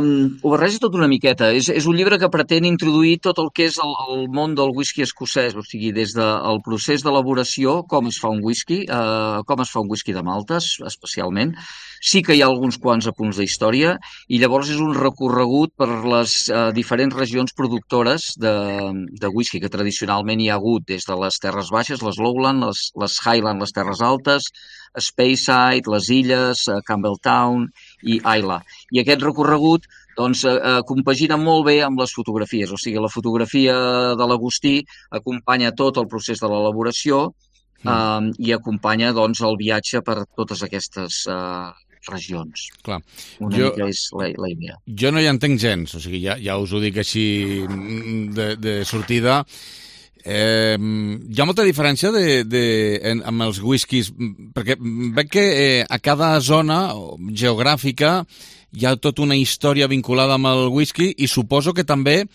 barreja tot una miqueta. És un llibre que pretén introduir tot el que és el món del whisky escocès, o sigui, des del procés d'elaboració, com es fa un whisky, com es fa un whisky de maltes, especialment. Sí que hi ha alguns quants apunts d'història i llavors és un recorregut per les diferents regions productores de whisky que tradicionalment hi ha hagut des de les Terres Baixes, les Lowland, les Highland, les Terres Altes, Speyside, les Illes, Campbelltown i Islay. I aquest recorregut compagina molt bé amb les fotografies, o sigui, la fotografia de l'Agustí acompanya tot el procés de l'elaboració i acompanya el viatge per totes aquestes regions. Clar. Una mica és la idea. Jo no hi entenc gens, o sigui, ja us ho dic així de sortida. Hi ha molta diferència amb els whiskies, perquè veig que a cada zona geogràfica hi ha tota una història vinculada amb el whisky i suposo que també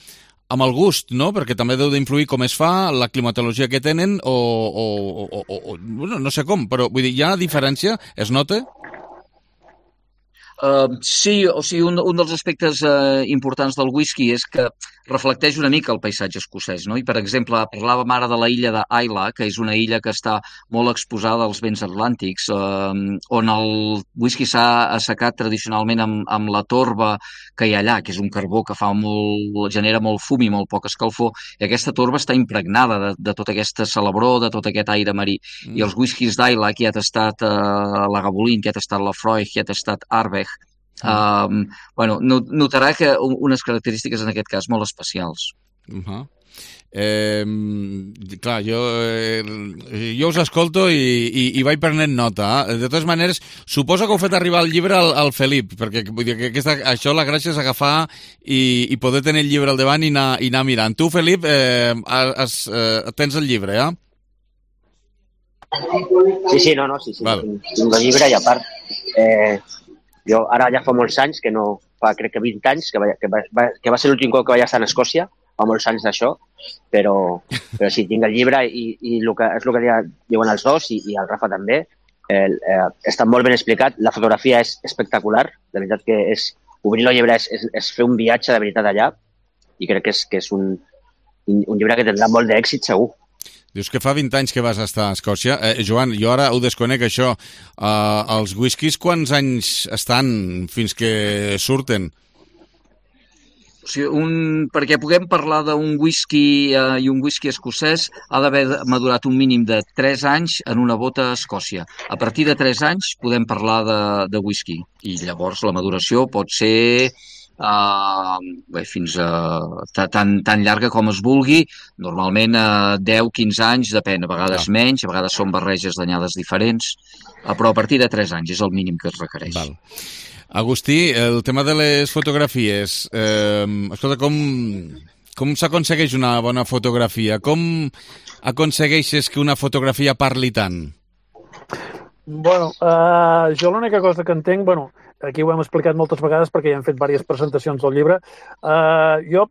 amb el gust, no? Perquè també deu d'influir com es fa, la climatologia que tenen no sé com, però vull dir, hi ha diferència? Es nota? Sí, o sigui, un dels aspectes importants del whisky és que reflecteix una mica el paisatge escocès, no? I, per exemple, parlàvem ara de la illa d'Islay, que és una illa que està molt exposada als vents atlàntics, on el whisky s'ha assecat tradicionalment amb la torba que hi ha allà, que és un carbó que genera molt fum i molt poca escalfor, i aquesta torba està impregnada de tota aquesta salabror, de tot aquest aire marí. I els whiskies d'Islay, que ha tastat la Gabolin, que ha tastat la Freud, que ha tastat Ardbeg, notarà que unes característiques en aquest cas molt especials. Clar, jo us escolto i vaig prenent nota. De totes maneres, suposo que heu fet arribar el llibre al Felip, perquè vull dir que això la gràcia és agafar i poder tenir el llibre al davant i anar mirant. Tu, Felip, tens el llibre, eh? Sí, tinc el llibre i a part jo ara ja fa molts anys que no, crec que 20 anys que va ser l'últim cop que vaig estar a Escòcia, fa molts anys d'això, però sí, tinc el llibre i és el que diuen els dos i el Rafa també, està molt ben explicat, la fotografia és espectacular, de veritat que obrir el llibre és fer un viatge de veritat allà i crec que és un llibre que tindrà molt d'èxit segur. Dius que fa 20 anys que vas estar a Escòcia. Joan, jo ara ho desconec, això. Els whiskies, quants anys estan fins que surten? perquè puguem parlar d'un whisky i un whisky escocès ha d'haver madurat un mínim de 3 anys en una bota a Escòcia. A partir de 3 anys podem parlar de whisky i llavors la maduració pot ser fins a tan llarga com es vulgui, normalment 10-15 anys, depèn, a vegades menys, a vegades són barreges d'anyades diferents, però a partir de 3 anys és el mínim que es requereix. Val. Agustí, el tema de les fotografies, escolta, com s'aconsegueix una bona fotografia? Com aconsegueixes que una fotografia parli tant? Bueno, jo l'única cosa que entenc, aquí ho hem explicat moltes vegades perquè ja hem fet diverses presentacions del llibre, jo,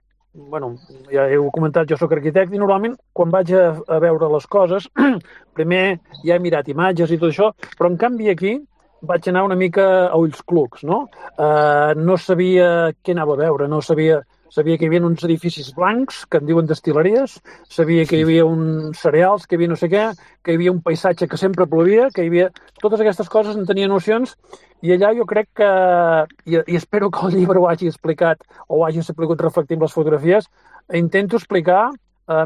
ja heu comentat, jo sóc arquitecte i normalment quan vaig a veure les coses, primer ja he mirat imatges i tot això, però en canvi aquí vaig anar una mica a ulls clucs, no? No sabia què anava a veure, sabia que hi havia uns edificis blancs, que en diuen destil·leries, sabia que hi havia uns cereals, que hi havia no sé què, que hi havia un paisatge que sempre plovia, que hi havia... Totes aquestes coses en tenia nocions i allà jo crec que, i espero que el llibre ho hagi explicat o ho hagi sabut reflectir amb les fotografies, intento explicar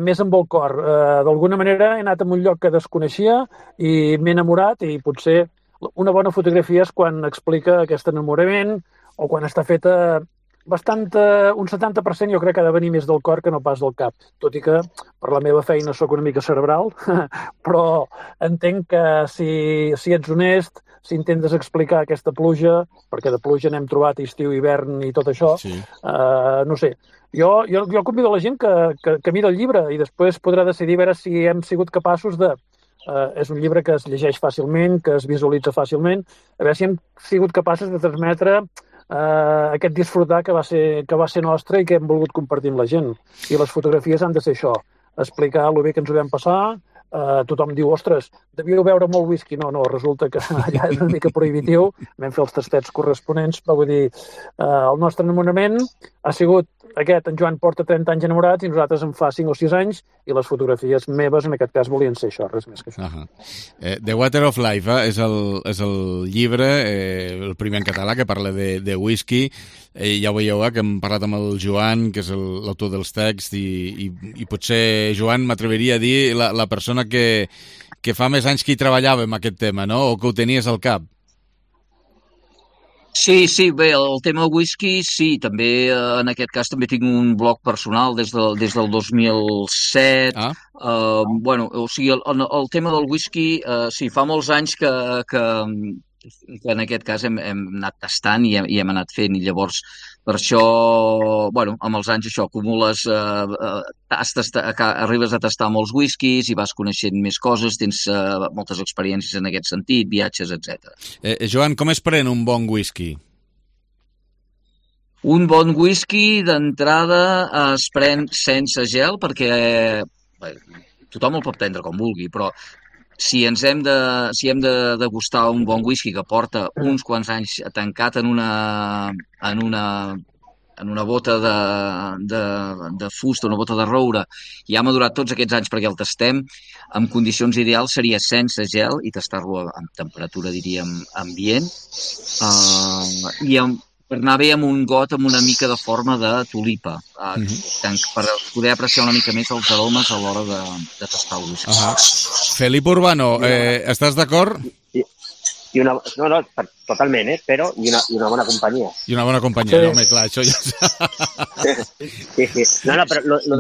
més amb el cor. D'alguna manera he anat a un lloc que desconeixia i m'he enamorat i potser una bona fotografia és quan explica aquest enamorament o quan està feta un 70% jo crec que ha de venir més del cor que no pas del cap, tot i que per la meva feina sóc una mica cerebral, però entenc que si ets honest, si intentes explicar aquesta pluja, perquè de pluja n'hem trobat estiu, hivern i tot això, no sé, jo convido a la gent que mira el llibre i després podrà decidir a veure si hem sigut capaços de... és un llibre que es llegeix fàcilment, que es visualitza fàcilment, a veure si hem sigut capaços de transmetre aquest disfrutar que va ser nostre i que hem volgut compartir amb la gent. I les fotografies han de ser això, explicar el bé que ens ho vam passar. Tothom diu, ostres, devíeu beure molt whisky. No, resulta que allà és una mica prohibitiu. Vam fer els tastets corresponents, però vull dir, el nostre enamorament ha sigut aquest, en Joan porta 30 anys enamorat i nosaltres en fa 5 o 6 anys i les fotografies meves en aquest cas volien ser això, res més que això. The Water of Life és el llibre, el primer en català que parla de whisky. Ja ho veieu que hem parlat amb el Joan, que és l'autor dels texts i potser, Joan, m'atreviria a dir la persona que fa més anys que hi treballava amb aquest tema, no? O que ho tenies al cap. Sí, bé, el tema whisky, sí, també en aquest cas també tinc un blog personal des del 2007. O sigui, el tema del whisky, sí, fa molts anys que en aquest cas hem anat tastant i hem anat fent, i llavors per això, amb els anys això, acumules, arribes a tastar molts whiskies i vas coneixent més coses, tens moltes experiències en aquest sentit, viatges, etc. Joan, com es pren un bon whisky? Un bon whisky, d'entrada, es pren sense gel, perquè tothom el pot prendre com vulgui, però si hem de degustar un bon whisky que porta uns quants anys tancat en una bota de fusta, una bota de roure, i ha madurat tots aquests anys perquè el tastem, en condicions ideals seria sense gel i tastar-lo amb temperatura, diríem, ambient, i per anar bé amb un got amb una mica de forma de tulipa, per poder apreciar una mica més els aromes a l'hora de tastar el whisky. Felipe Urbano, estàs d'acord? No, totalment, però i una bona companyia. I una bona companyia, sí. Home, clar, això ja... Sí. No, però lo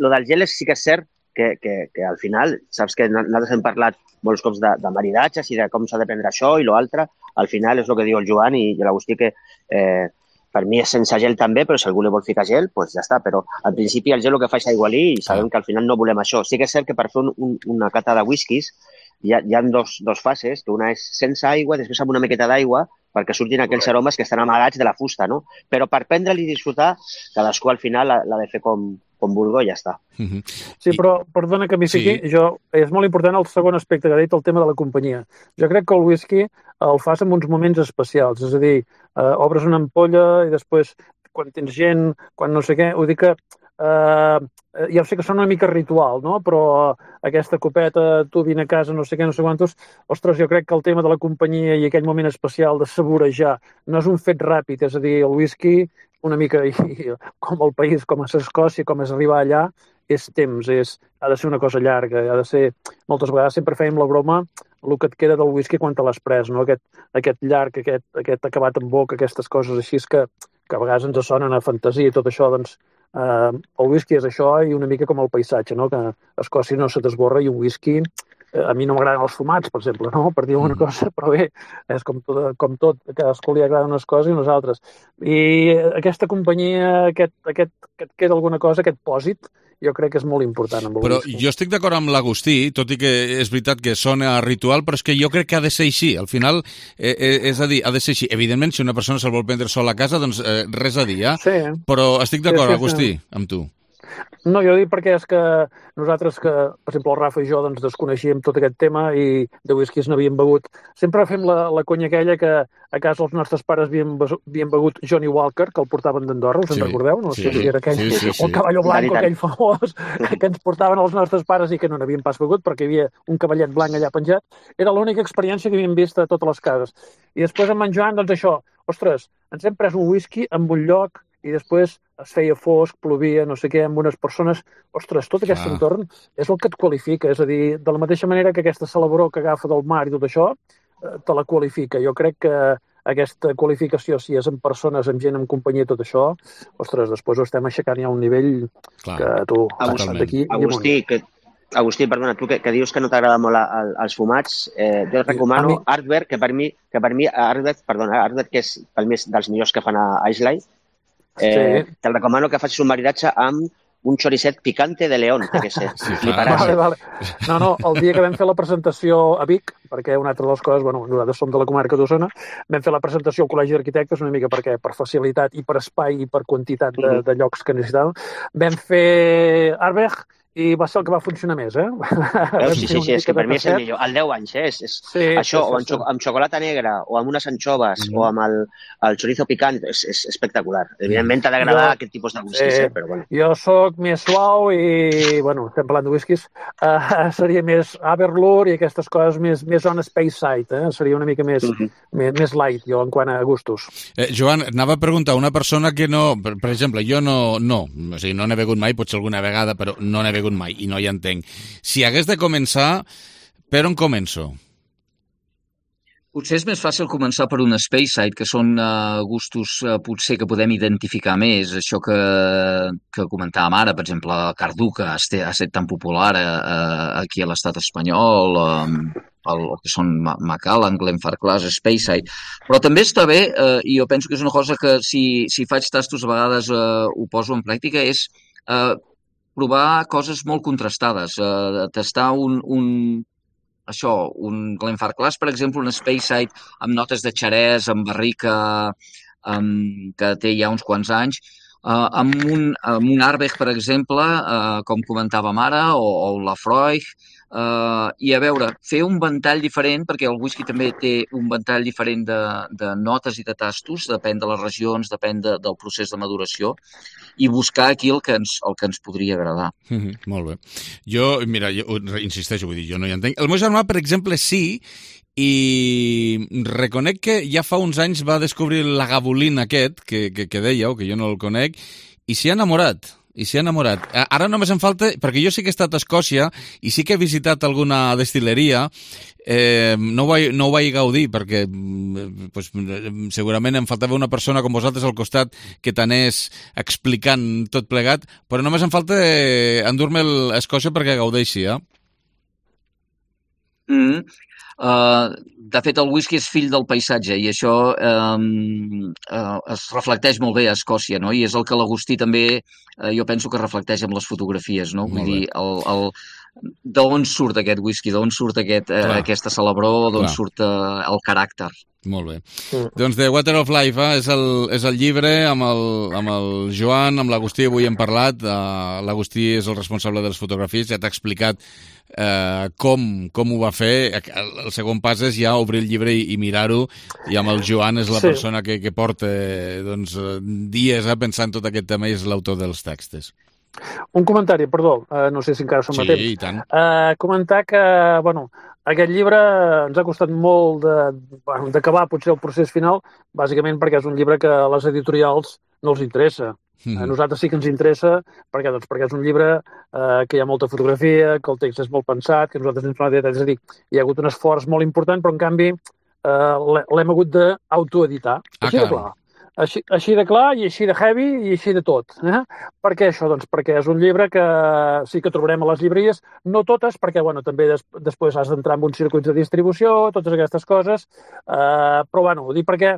del gel sí que és cert que al final, saps que nosaltres hem parlat molts cops de maridatges i de com s'ha de prendre això i l'altre, al final és el que diu el Joan i l'Agustí, que per mi és sense gel també, però si algú li vol ficar gel, doncs ja està, però al principi el gel el que fa és aigualir i sabem que al final no volem això. Sí que és cert que per fer una cata de whiskies hi ha dos fases, que una és sense aigua, després amb una miqueta d'aigua, perquè surtin aquells aromes que estan amagats de la fusta, no? Però per prendre-li i disfrutar, cadascú al final l'ha de fer com vulgui i ja està. Sí, però perdona que m'hi fiqui, és molt important el segon aspecte que ha dit, el tema de la companyia. Jo crec que el whisky el fas en uns moments especials, és a dir, obres una ampolla i després, quan tens gent, quan no sé què, ho dic que ja sé que són una mica ritual, no? Però aquesta copeta, tu vine a casa, no sé què, no sé quantos, ostres, jo crec que el tema de la companyia i aquell moment especial de saborejar no és un fet ràpid, és a dir, el whisky una mica com el país, com és Escòcia, com és arribar allà, és temps, ha de ser una cosa llarga, ha de ser... Moltes vegades sempre fèiem la broma el que et queda del whisky quan te l'has pres, no? Aquest llarg, aquest acabat en boca, aquestes coses així que a vegades ens sonen a fantasia i tot això, doncs el whisky és això i una mica com el paisatge, no? Que a Escòcia no se t'esborra i un whisky... A mi no m'agraden els fumats, per exemple, no? Per dir una cosa, però bé, és com tot, a cadascú li agraden unes coses i unes altres. I aquesta companyia, que et queda alguna cosa, aquest pòsit, jo crec que és molt important. Però jo estic d'acord amb l'Agustí, tot i que és veritat que sona ritual, però és que jo crec que ha de ser així. Al final, és a dir, ha de ser així. Evidentment, si una persona se'l vol prendre sol a casa, doncs res a dir, Sí. Però estic d'acord, Agustí, amb tu. No, jo dic perquè és que nosaltres, per exemple, el Rafa i jo doncs, desconeixíem tot aquest tema i de whiskies n'havíem begut. Sempre fem la conya aquella que a casa els nostres pares havien begut Johnny Walker, que el portaven d'Andorra, us en recordeu? No sé si era aquell, el cavalló blanc, aquell famós, que ens portaven els nostres pares i que no n'havíem pas begut perquè hi havia un cavallet blanc allà penjat. Era l'única experiència que havíem vist a totes les cases. I després amb en Joan, doncs això, ostres, ens hem pres un whisky en un lloc i després es feia fosc, plovia, no sé què, amb unes persones... Ostres, tot aquest entorn és el que et qualifica. És a dir, de la mateixa manera que aquesta celebró que agafa del mar i tot això, te la qualifica. Jo crec que aquesta qualificació, si és amb persones, amb gent, amb companyia, tot això, ostres, després ho estem aixecant ja a un nivell que tu... Agustí, perdona, tu que dius que no t'agrada molt els fumats, jo et recomano Ardbeg, que per mi Ardbeg, que és per mi dels millors que fan a Islay, te'l recomano que facis un maridatge amb un choricet picante de León, que sé, Vale. No, el dia que vam fer la presentació a Vic, perquè una altra de les coses, bueno, nosaltres som de la comarca d'Osona, vam fer la presentació al Col·legi d'Arquitectes una mica perquè per facilitat i per espai i per quantitat de llocs que necessitàvem. Vam fer Ardbeg i va ser el que va funcionar més, Sí, és que per mi és el millor. Al 10 anys, això, o amb xocolata negra, o amb unes anxoves, o amb el chorizo picant, és espectacular. Evidentment t'ha d'agradar aquest tipus de whiskies, però bueno. Jo soc més suau i, bueno, estem parlant de whiskies, seria més Aberlour i aquestes coses més on space side, seria una mica més light, jo, en quant a gustos. Joan, anava a preguntar, una persona que no, per exemple, jo no, o sigui, no n'he begut mai, potser alguna vegada, però no n'he begut mai i no hi entenc. Si hagués de començar, per on començo? Potser és més fàcil començar per un space side, que són gustos potser que podem identificar més. Això que comentàvem ara, per exemple, Cardú, que ha estat tan popular aquí a l'estat espanyol, el que són Macallan, Glenfarclas, Space Side. Però també està bé, i jo penso que és una cosa que si faig tastos a vegades ho poso en pràctica, és provar coses molt contrastades, tastar un Glenfarclas, per exemple, un Space Side amb notes de xerès, amb barrica, que té ja uns quants anys, amb un Ardbeg, per exemple, com comentàvem ara, o el Laphroaig, i a veure, fer un ventall diferent, perquè el whisky també té un ventall diferent de notes i de tastos, depèn de les regions, depèn del procés de maduració, i buscar aquí el que ens podria agradar. Molt bé. Jo insisteixo, vull dir, jo no hi entenc. El meu germà, per exemple, sí, i reconec que ja fa uns anys va descobrir la gabolín aquest, que dèieu, que jo no el conec, i s'hi ha enamorat. Ara només em falta, perquè jo sí que he estat a Escòcia i sí que he visitat alguna destil·leria, no ho vaig gaudir perquè segurament em faltava una persona com vosaltres al costat que t'anés explicant tot plegat, però només em falta endur-me a Escòcia perquè gaudeixi, De fet, el whisky és fill del paisatge i això es reflecteix molt bé a Escòcia, no? I és el que l'Agustí també, jo penso que reflecteix amb les fotografies, no? Vull dir, d'on surt aquest whisky, d'on surt aquesta celebró, d'on surt el caràcter. Molt bé. Doncs The Water of Life és el llibre amb el Joan, amb l'Agustí, avui hem parlat. L'Agustí és el responsable de les fotografies, ja t'ha explicat com ho va fer. El segon pas és ja obrir el llibre i mirar-ho, i amb el Joan és la persona que porta dies pensant tot aquest tema i és l'autor dels textos. Un comentari, perdó, no sé si encara som a temps. Sí, i tant. Comentar que, aquest llibre ens ha costat molt d'acabar potser el procés final, bàsicament perquè és un llibre que les editorials no els interessa. A nosaltres sí que ens interessa perquè és un llibre que hi ha molta fotografia, que el text és molt pensat, que nosaltres ens hem és a dir, hi ha hagut un esforç molt important, però en canvi l'hem hagut d'autoeditar. Així de clar. Així de clar i així de heavy i així de tot. Per què això? Doncs perquè és un llibre que sí que trobarem a les llibreries, no totes, perquè bueno, també després has d'entrar en uns circuits de distribució, totes aquestes coses, però bueno, ho dic perquè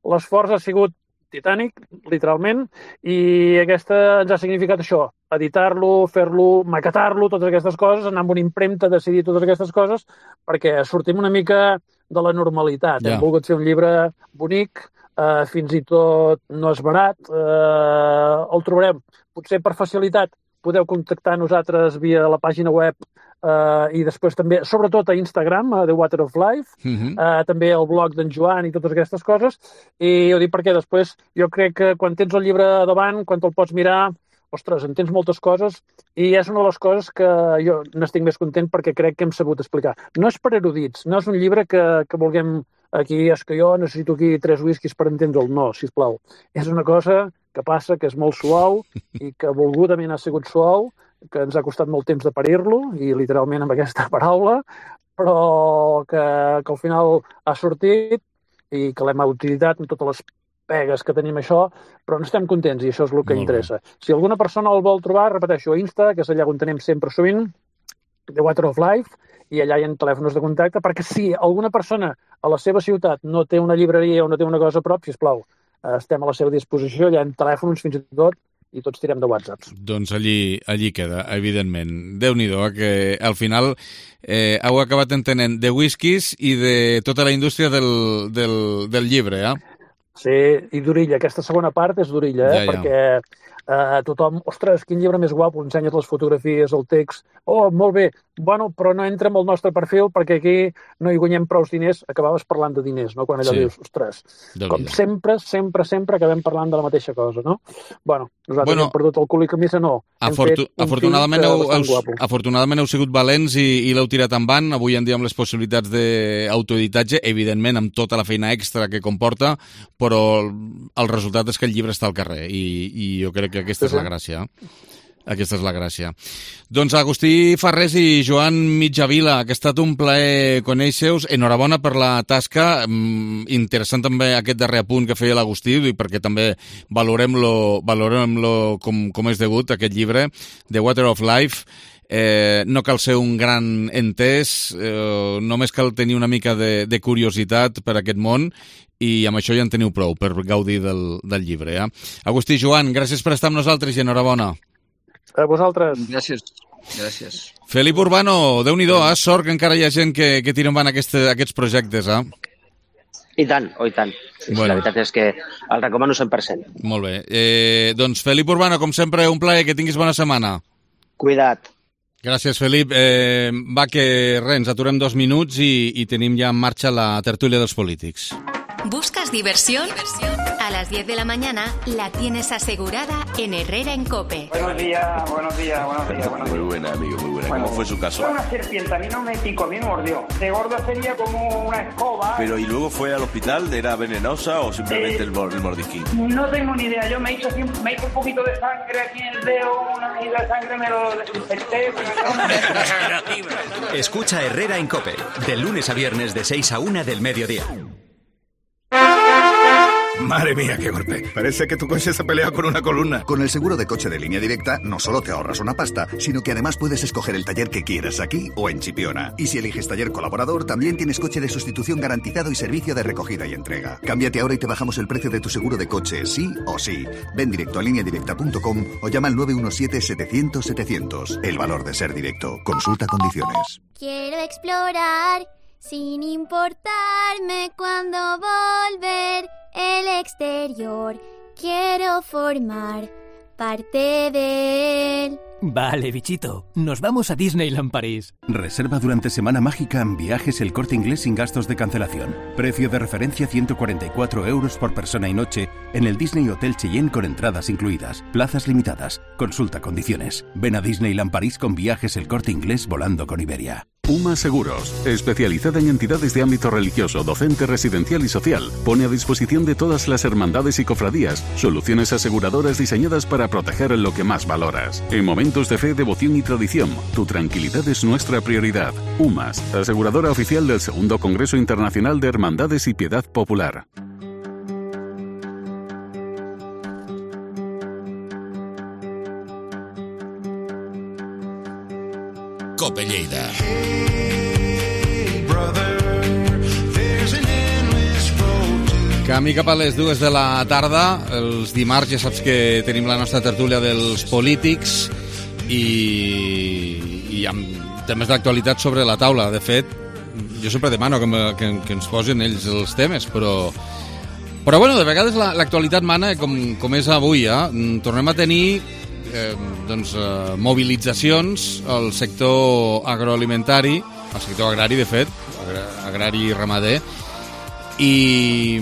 l'esforç ha sigut titànic, literalment, i aquesta ens ha significat això, editar-lo, fer-lo, maquetar-lo, totes aquestes coses, anar amb una impremta, decidir totes aquestes coses, perquè sortim una mica de la normalitat. Hem volgut fer un llibre bonic, fins i tot no és barat, el trobarem. Potser per facilitat podeu contactar nosaltres via la pàgina web i després també, sobretot a Instagram, The Water of Life, també el blog d'en Joan i totes aquestes coses, i ho dic perquè després jo crec que quan tens el llibre davant, quan te'l pots mirar, ostres, entens moltes coses i és una de les coses que jo n'estic més content perquè crec que hem sabut explicar. No és per erudits, no és un llibre que vulguem aquí, és que jo necessito aquí 3 whiskies per entendre'l. No, sisplau. És una cosa que passa, que és molt suau i que volgudament ha sigut suau, que ens ha costat molt temps de parir-lo, i literalment amb aquesta paraula, però que al final ha sortit i que l'hem utilitzat amb totes les pegues que tenim això, però n'estem contents i això és el que interessa. Si alguna persona el vol trobar, repeteixo, a Insta, que és allà on tenim sempre sovint, The Water of Life, i allà hi ha telèfons de contacte, perquè si alguna persona a la seva ciutat no té una llibreria o no té una cosa a prop, sisplau, estem a la seva disposició, hi ha telèfons fins i tot, i tots tirem de WhatsApps. Doncs allí queda, evidentment. Déu-n'hi-do, que al final heu acabat entenent de whiskies i de tota la indústria del llibre, Sí, i d'orilla. Aquesta segona part és d'orilla, perquè tothom, ostres, quin llibre més guapo, ensenyes les fotografies, el text, oh, molt bé, bueno, però no entra en el nostre perfil perquè aquí no hi guanyem prou diners, acabaves parlant de diners, no? Quan allò dius, ostres, com sempre acabem parlant de la mateixa cosa, no? Bueno, nosaltres hem perdut el cul i camisa, no. Afortunadament heu sigut valents i l'heu tirat endavant, avui en dia amb les possibilitats d'autoeditatge, evidentment amb tota la feina extra que comporta, però el resultat és que el llibre està al carrer i jo crec que aquesta és la gràcia. Aquesta és la gràcia. Doncs Agustí Farrés i Joan Mitjavila, que ha estat un plaer conèixer-vos. Enhorabona per la tasca. Interessant també aquest darrer apunt que feia l'Agustí, perquè també valorem-lo com és degut, aquest llibre, The Water of Life. No cal ser un gran entès, només cal tenir una mica de curiositat per aquest món i amb això ja en teniu prou per gaudir del llibre. Agustí i Joan, gràcies per estar amb nosaltres i enhorabona. A vosaltres. Gràcies. Felip Urbano, Déu-n'hi-do, sort que encara hi ha gent que tira endavant aquests projectes. I tant, oh i tant. Sí, bueno. La veritat és que el recomano 100%. Molt bé. Doncs Felip Urbano, com sempre, un plaer, que tinguis bona setmana. Cuida't. Gràcies, Felip. Va, que res, ens aturem 2 minuts i tenim ja en marxa la tertúlia dels polítics. ¿Buscas diversión? A las 10 de la mañana la tienes asegurada en Herrera en COPE. Buenos días. Muy buena, amigo, muy buena. Bueno, ¿cómo fue su caso? Fue una serpiente, a mí no me picó, a mí me mordió. De gordo sería como una escoba. Pero ¿y luego fue al hospital? ¿Era venenosa o simplemente el mordisquín? No tengo ni idea, yo me hice un poquito de sangre aquí en el dedo, una medida de sangre me lo desinfecté. Escucha Herrera en COPE, de lunes a viernes de 6 a 1 del mediodía. Madre mía, qué golpe. Parece que tu coche se ha peleado con una columna. Con el seguro de coche de Línea Directa no solo te ahorras una pasta, sino que además puedes escoger el taller que quieras aquí o en Chipiona. Y si eliges taller colaborador, también tienes coche de sustitución garantizado y servicio de recogida y entrega. Cámbiate ahora y te bajamos el precio de tu seguro de coche, sí o sí. Ven directo a lineadirecta.com o llama al 917-700-700. El valor de ser directo. Consulta condiciones. Quiero explorar sin importarme cuándo volver el exterior. Quiero formar parte de él. Vale, bichito. Nos vamos a Disneyland París. Reserva durante Semana Mágica en Viajes El Corte Inglés sin gastos de cancelación. Precio de referencia 144 € por persona y noche en el Disney Hotel Cheyenne con entradas incluidas. Plazas limitadas. Consulta condiciones. Ven a Disneyland París con Viajes El Corte Inglés volando con Iberia. UMA Seguros, especializada en entidades de ámbito religioso, docente, residencial y social, pone a disposición de todas las hermandades y cofradías soluciones aseguradoras diseñadas para proteger lo que más valoras. En momentos de fe, devoción y tradición, tu tranquilidad es nuestra prioridad. UMAS, aseguradora oficial del Segundo Congreso Internacional de Hermandades y Piedad Popular. Cope Lleida. Camí cap a les 2 de la tarda. Els dimarts ja saps que tenim la nostra tertúlia dels polítics i amb temes d'actualitat sobre la taula. De fet, jo sempre demano que ens posin ells els temes, però bueno, de vegades l'actualitat mana com és avui. Tornem a tenir mobilitzacions al sector agroalimentari, al sector agrari, de fet, agrari i ramader. I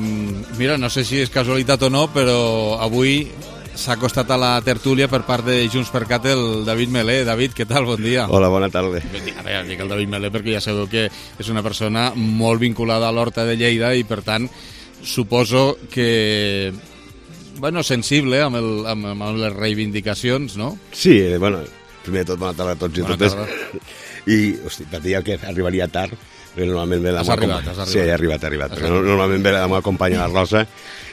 mira, no sé si és casualitat o no, però avui s'ha acostat a la tertúlia per part de Junts per Cat el David Melé. David, què tal? Bon dia. Hola, bona tarda. Ara dic el David Melé perquè ja sabeu que és una persona molt vinculada a l'Horta de Lleida i, per tant, suposo que sensible amb les reivindicacions, no? Sí, primer de tot, bona tarda a tots i totes. I, hosti, per dir que arribaria tard, perquè normalment ve la meva companya. Has arribat. Sí, he arribat. Perquè normalment ve la meva companya, la Rosa,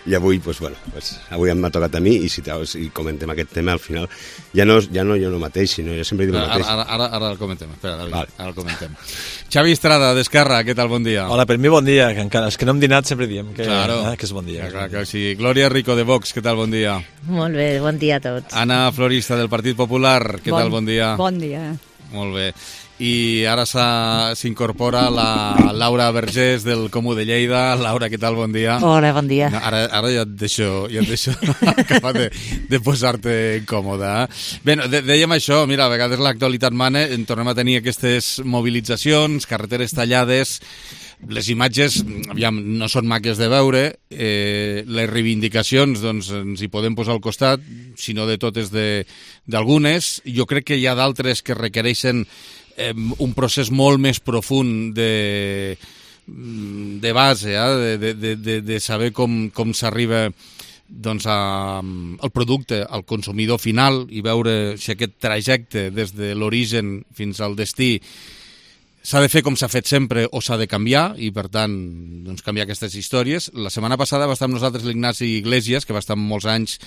i avui, avui m'ha tocat a mi, i comentem aquest tema al final. Ja no jo mateix, sinó jo sempre dic el mateix. Ara el comentem, espera, David, ara el comentem. Xavi Estrada, d'Esquerra, què tal, bon dia? Hola, per mi bon dia, que encara, els que no hem dinat sempre diem que és bon dia. Clar que sí. Glòria Rico, de Vox, què tal, bon dia? Molt bé, bon dia a tots. Anna Florista, del Partit Popular, què tal, bon dia? Bon dia. Molt bé. I ara s'incorpora la Laura Vergés del Comú de Lleida. Laura, què tal? Bon dia. Hola, bon dia. No, ara ja et deixo acabar de posar-te incòmoda. Bé, dèiem això, mira, a vegades l'actualitat mana, en tornem a tenir aquestes mobilitzacions, carreteres tallades. Les imatges, aviam, no són maques de veure, les reivindicacions doncs, ens hi podem posar al costat, si no de totes d'algunes. Jo crec que hi ha d'altres que requereixen un procés molt més profund de base, de saber com s'arriba doncs, al producte, al consumidor final, i veure si aquest trajecte des de l'origen fins al destí s'ha de fer com s'ha fet sempre o s'ha de canviar, i per tant doncs, canviar aquestes històries. La setmana passada va estar amb nosaltres l'Ignasi Iglesias, que va estar molts anys,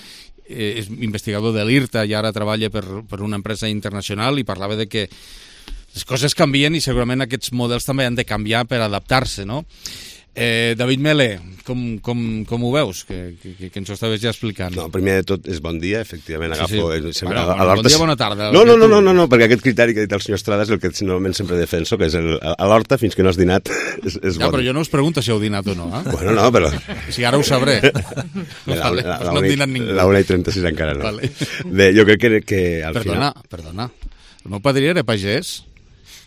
és investigador de l'IRTA i ara treballa per una empresa internacional, i parlava de que les coses canvien i segurament aquests models també han de canviar per adaptar-se, no? David Melé, com ho veus? Que ens ho estaves ja explicant. No, primer de tot és bon dia, efectivament, agafo... Sí. Bon dia, bona tarda. No, perquè aquest criteri que ha dit el senyor Estrada és el que normalment sempre defenso, que és a l'horta, fins que no has dinat, és bon. Ja, però jo no us pregunto si heu dinat o no, eh? Bueno, no, però... Si ara ho sabré. No hem dinat ningú. La 1:36 encara no. Bé, jo crec que al final... Perdona. El meu padrí era pagès,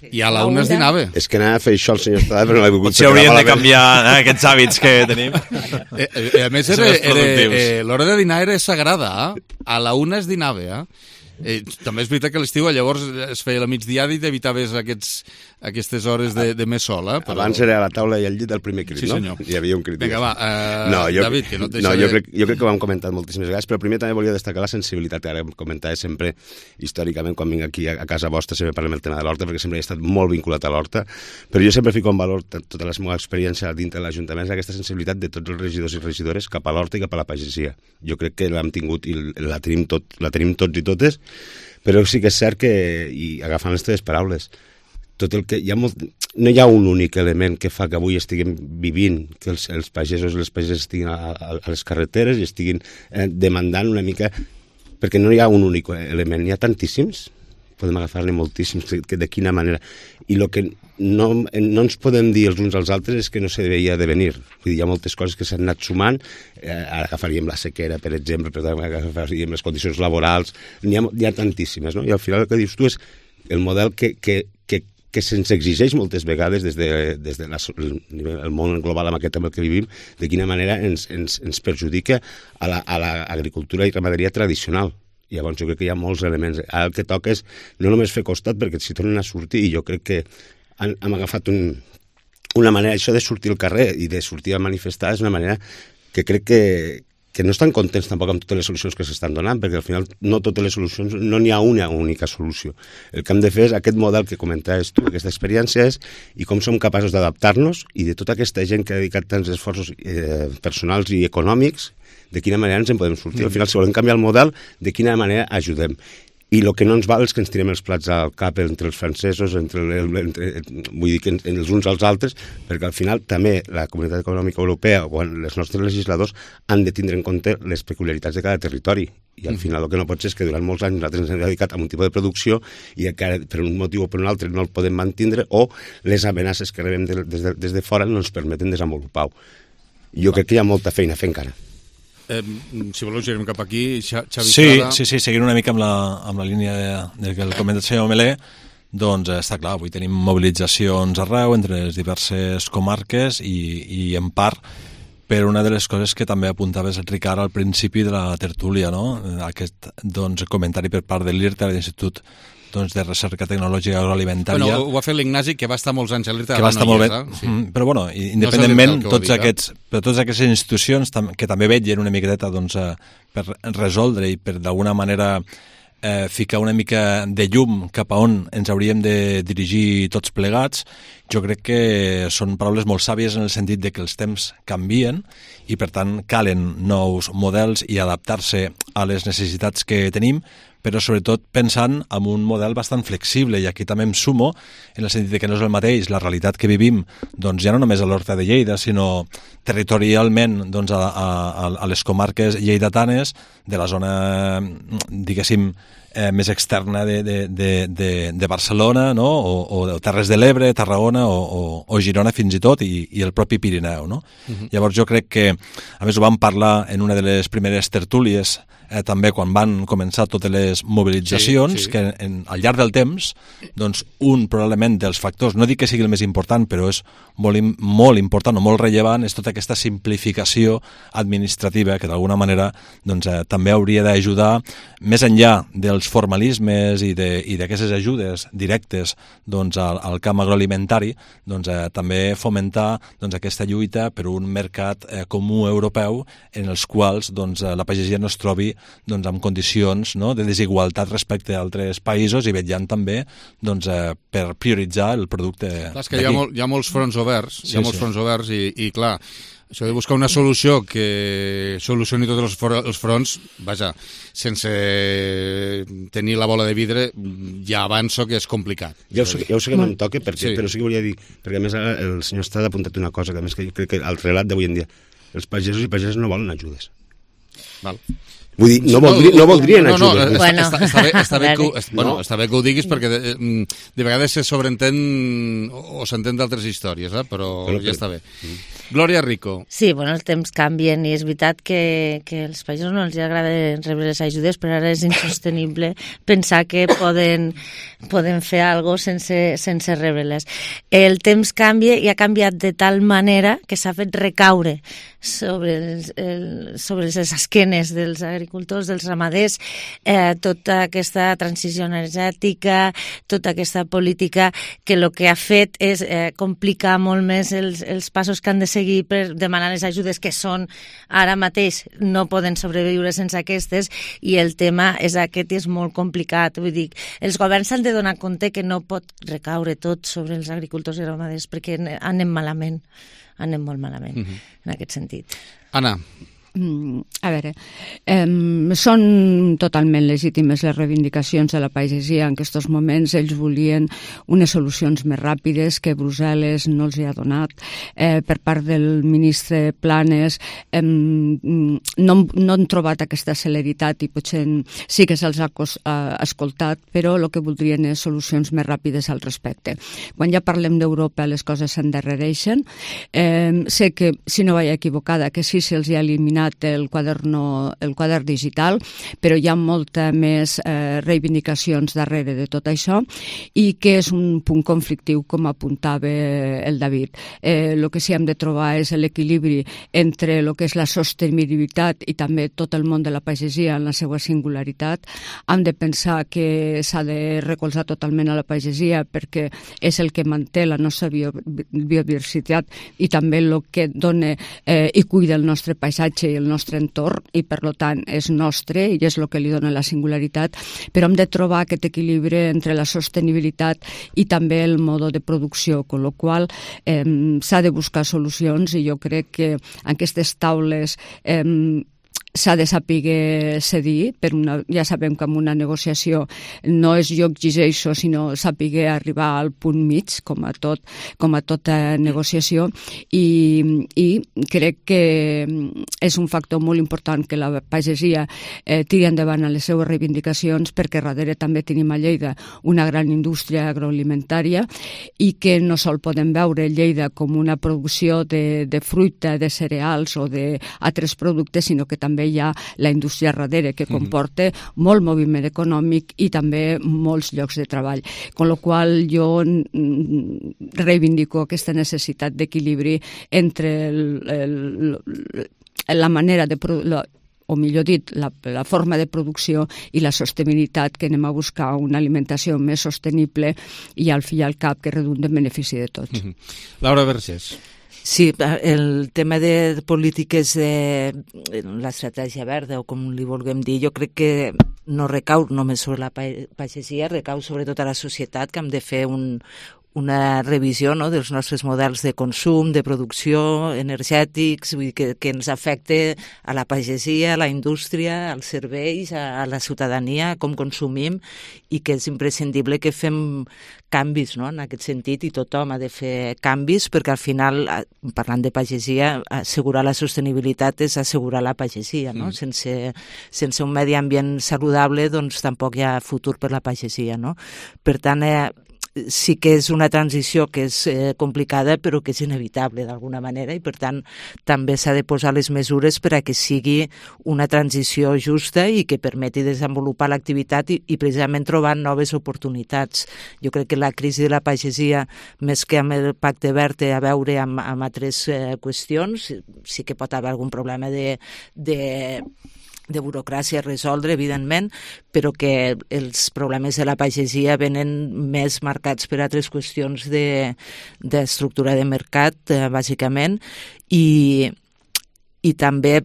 i a la una es dinava. És que anava a fer això el senyor Estrada, però no l'he volgut. Potser hauríem de canviar aquests hàbits que tenim. A més, l'hora de dinar era sagrada. A la una es dinava. També és veritat que a l'estiu llavors es feia la migdiada i t'evitaves aquestes hores de més sol. Però... Abans era a la taula i al llit el primer crit, sí, senyor. No? Hi havia un crit. Vinga, va, David, que no et deixaré... Jo crec que ho hem comentat moltíssimes vegades, però primer també volia destacar la sensibilitat, que ara comentava sempre històricament quan vinc aquí a casa vostra, sempre parlem el tema de l'horta, perquè sempre he estat molt vinculat a l'horta, però jo sempre fico en valor tota la meva experiència dintre de l'Ajuntament, aquesta sensibilitat de tots els regidors i regidores cap a l'horta i cap a la pagesia. Jo crec que l'hem tingut i la tenim tots i totes, però sí que és cert que, i agafant les teves paraules, tot el que no hi ha un únic element que fa que avui estiguem vivint, que els pagesos i les pageses estiguin a les carreteres i estiguin demandant una mica, perquè no hi ha un únic element, n'hi ha tantíssims, podem agafar-ne moltíssims, de quina manera, i el que no ens podem dir els uns als altres és que no se veia de venir. Vull dir, hi ha moltes coses que s'han anat sumant, ara agafaríem la sequera, per exemple, però també agafaríem les condicions laborals, n'hi ha tantíssimes, no? I al final el que dius tu és el model que se'ns exigeix moltes vegades des del món global amb el que vivim, de quina manera ens perjudica a l'agricultura i ramaderia tradicional. Llavors jo crec que hi ha molts elements. Ara el que toca és no només fer costat, perquè s'hi tornen a sortir, i jo crec que hem agafat una manera, això de sortir al carrer i de sortir a manifestar és una manera que crec que no estan contents tampoc amb totes les solucions que s'estan donant, perquè al final no totes les solucions, no n'hi ha una única solució. El que hem de fer és aquest model que comentaves tu, aquesta experiència és i com som capaços d'adaptar-nos i de tota aquesta gent que ha dedicat tants esforços personals i econòmics, de quina manera ens en podem sortir. Al final, si volem canviar el model, de quina manera ajudem. I el que no ens val és que ens tirem els plats al cap entre els francesos, vull dir que els uns als altres, perquè al final també la Comunitat Econòmica Europea o els nostres legisladors han de tindre en compte les peculiaritats de cada territori. I al final el que no pot ser és que durant molts anys nosaltres ens hem dedicat a un tipus de producció i que ara per un motiu o per un altre no el podem mantindre o les amenaces que rebem des de fora no ens permeten desenvolupar-ho. Jo crec que hi ha molta feina a fer encara. Si voleu, girem cap aquí. Xavi Estrada. Sí, seguint una mica amb la línia que el comenta el senyor Melé, doncs està clar, avui tenim mobilitzacions arreu entre les diverses comarques i en part per una de les coses que també apuntaves, Ricard, al principi de la tertúlia, no? Aquest comentari per part de l'IRTA, de l'Institut de Recerca Tecnològica Agroalimentària. Bueno, ho va fer l'Ignasi, que va estar molts anys a l'IRTA. Que va estar molt bé. Sí. Però, bueno, independentment, totes aquestes institucions que també vetllen una miqueta per resoldre i per d'alguna manera ficar una mica de llum cap a on ens hauríem de dirigir tots plegats, jo crec que són paraules molt sàvies en el sentit de que els temps canvien i, per tant, calen nous models i adaptar-se a les necessitats que tenim, però sobretot pensant en un model bastant flexible, i aquí també em sumo en el sentit que no és el mateix la realitat que vivim, doncs ja no només a l'Horta de Lleida, sinó territorialment a les comarques lleidatanes de la zona, diguéssim, més externa de Barcelona, no? o Terres de l'Ebre, Tarragona o Girona fins i tot, i el propi Pirineu. No? Llavors jo crec que, a més ho vam parlar en una de les primeres tertúlies, també quan van començar totes les mobilitzacions, que al llarg del temps, doncs un probablement dels factors, no dic que sigui el més important, però és molt important o molt rellevant, és tota aquesta simplificació administrativa que d'alguna manera també hauria d'ajudar, més enllà dels formalismes i d'aquestes ajudes directes al camp agroalimentari, també fomentar aquesta lluita per un mercat comú europeu en els quals la pagesia no es trobi amb condicions de desigualtat respecte a altres països i vetllant també per prioritzar el producte d'aquí. Hi ha molts fronts oberts, i clar, això de buscar una solució que solucioni tots els fronts, vaja, sense tenir la bola de vidre, ja avanço que és complicat. Ja ho sé que no em toca, però sí que volia dir, perquè a més el senyor Estrada ha apuntat una cosa, que a més que jo crec que el relat d'avui en dia, els pagesos i pageses no volen ajudes. Val. Vull dir, no voldrien ajudes. Està bé que ho diguis perquè de vegades se sobreentén o s'entén d'altres històries, però ja està bé. Glòria Rico. Sí, els temps canvien i és veritat que als països no els agrada rebre les ajudes, però ara és insostenible pensar que poden fer alguna cosa sense rebre-les. El temps canvia i ha canviat de tal manera que s'ha fet recaure sobre les esquenes dels agricultors, dels ramaders, tota aquesta transició energètica, tota aquesta política que el que ha fet és complicar molt més els passos que han de seguir per demanar les ajudes, que són ara mateix no poden sobreviure sense aquestes, i el tema és aquest i és molt complicat. Vull dir, els governs s'han de donar compte que no pot recaure tot sobre els agricultors i ramaders perquè anem malament. Anem molt malament, en aquest sentit. Anna. A veure, són totalment legítimes les reivindicacions de la pagesia. En aquests moments ells volien unes solucions més ràpides que Brussel·les no els hi ha donat. Per part del ministre Planes no han trobat aquesta celeritat i potser sí que se'ls ha escoltat, però el que voldrien és solucions més ràpides al respecte. Quan ja parlem d'Europa les coses s'endarrereixen. Sé que, si no vaig equivocada, que sí se'ls ha eliminat eliminat el quadern digital, però hi ha molta més reivindicacions darrere de tot això i que és un punt conflictiu, com apuntava el David. El que sí hem de trobar és l'equilibri entre el que és la sostenibilitat i també tot el món de la pagesia en la seva singularitat. Hem de pensar que s'ha de recolzar totalment a la pagesia perquè és el que manté la nostra biodiversitat i també el que dona i cuida el nostre paisatge i el nostre entorn i per tant és nostre i és el que li dona la singularitat, però hem de trobar aquest equilibri entre la sostenibilitat i també el mode de producció, amb la qual s'ha de buscar solucions i jo crec que aquestes taules s'ha de saber cedir, ja sabem que en una negociació no és jo exigeixo, sinó saber arribar al punt mig, com a tota negociació, i crec que és un factor molt important que la pagesia tiri endavant a les seues reivindicacions, perquè darrere també tenim a Lleida una gran indústria agroalimentària i que no sol podem veure Lleida com una producció de fruita, de cereals o d'altres productes, sinó que també hi ha la indústria darrere, que comporta molt moviment econòmic i també molts llocs de treball. Con la qual jo reivindico aquesta necessitat d'equilibri entre la manera de o millor dit, la forma de producció i la sostenibilitat, que anem a buscar una alimentació més sostenible i al fi i al cap que redunda en benefici de tots. Laura Vergés. Sí, el tema de polítiques de l'estratègia verda, o com li vulguem dir, jo crec que no recau només sobre la pagesia, recau sobretot a la societat, que hem de fer una revisió, no?, dels nostres models de consum, de producció, energètics, vull dir que ens afecta a la pagesia, a la indústria, als serveis, a la ciutadania, com consumim, i que és imprescindible que fem canvis, no?, en aquest sentit, i tothom ha de fer canvis, perquè al final, parlant de pagesia, assegurar la sostenibilitat és assegurar la pagesia, no? Sense un medi ambient saludable, doncs tampoc hi ha futur per la pagesia, no? Per tant, sí que és una transició que és complicada, però que és inevitable d'alguna manera, i per tant també s'ha de posar les mesures per a que sigui una transició justa i que permeti desenvolupar l'activitat i precisament trobar noves oportunitats. Jo crec que la crisi de la pagesia, més que amb el Pacte Verd, té a veure amb altres qüestions. Sí que pot haver algun problema de burocràcia a resoldre, evidentment, però que els problemes de la pagesia venen més marcats per altres qüestions d'estructura de mercat, bàsicament, i també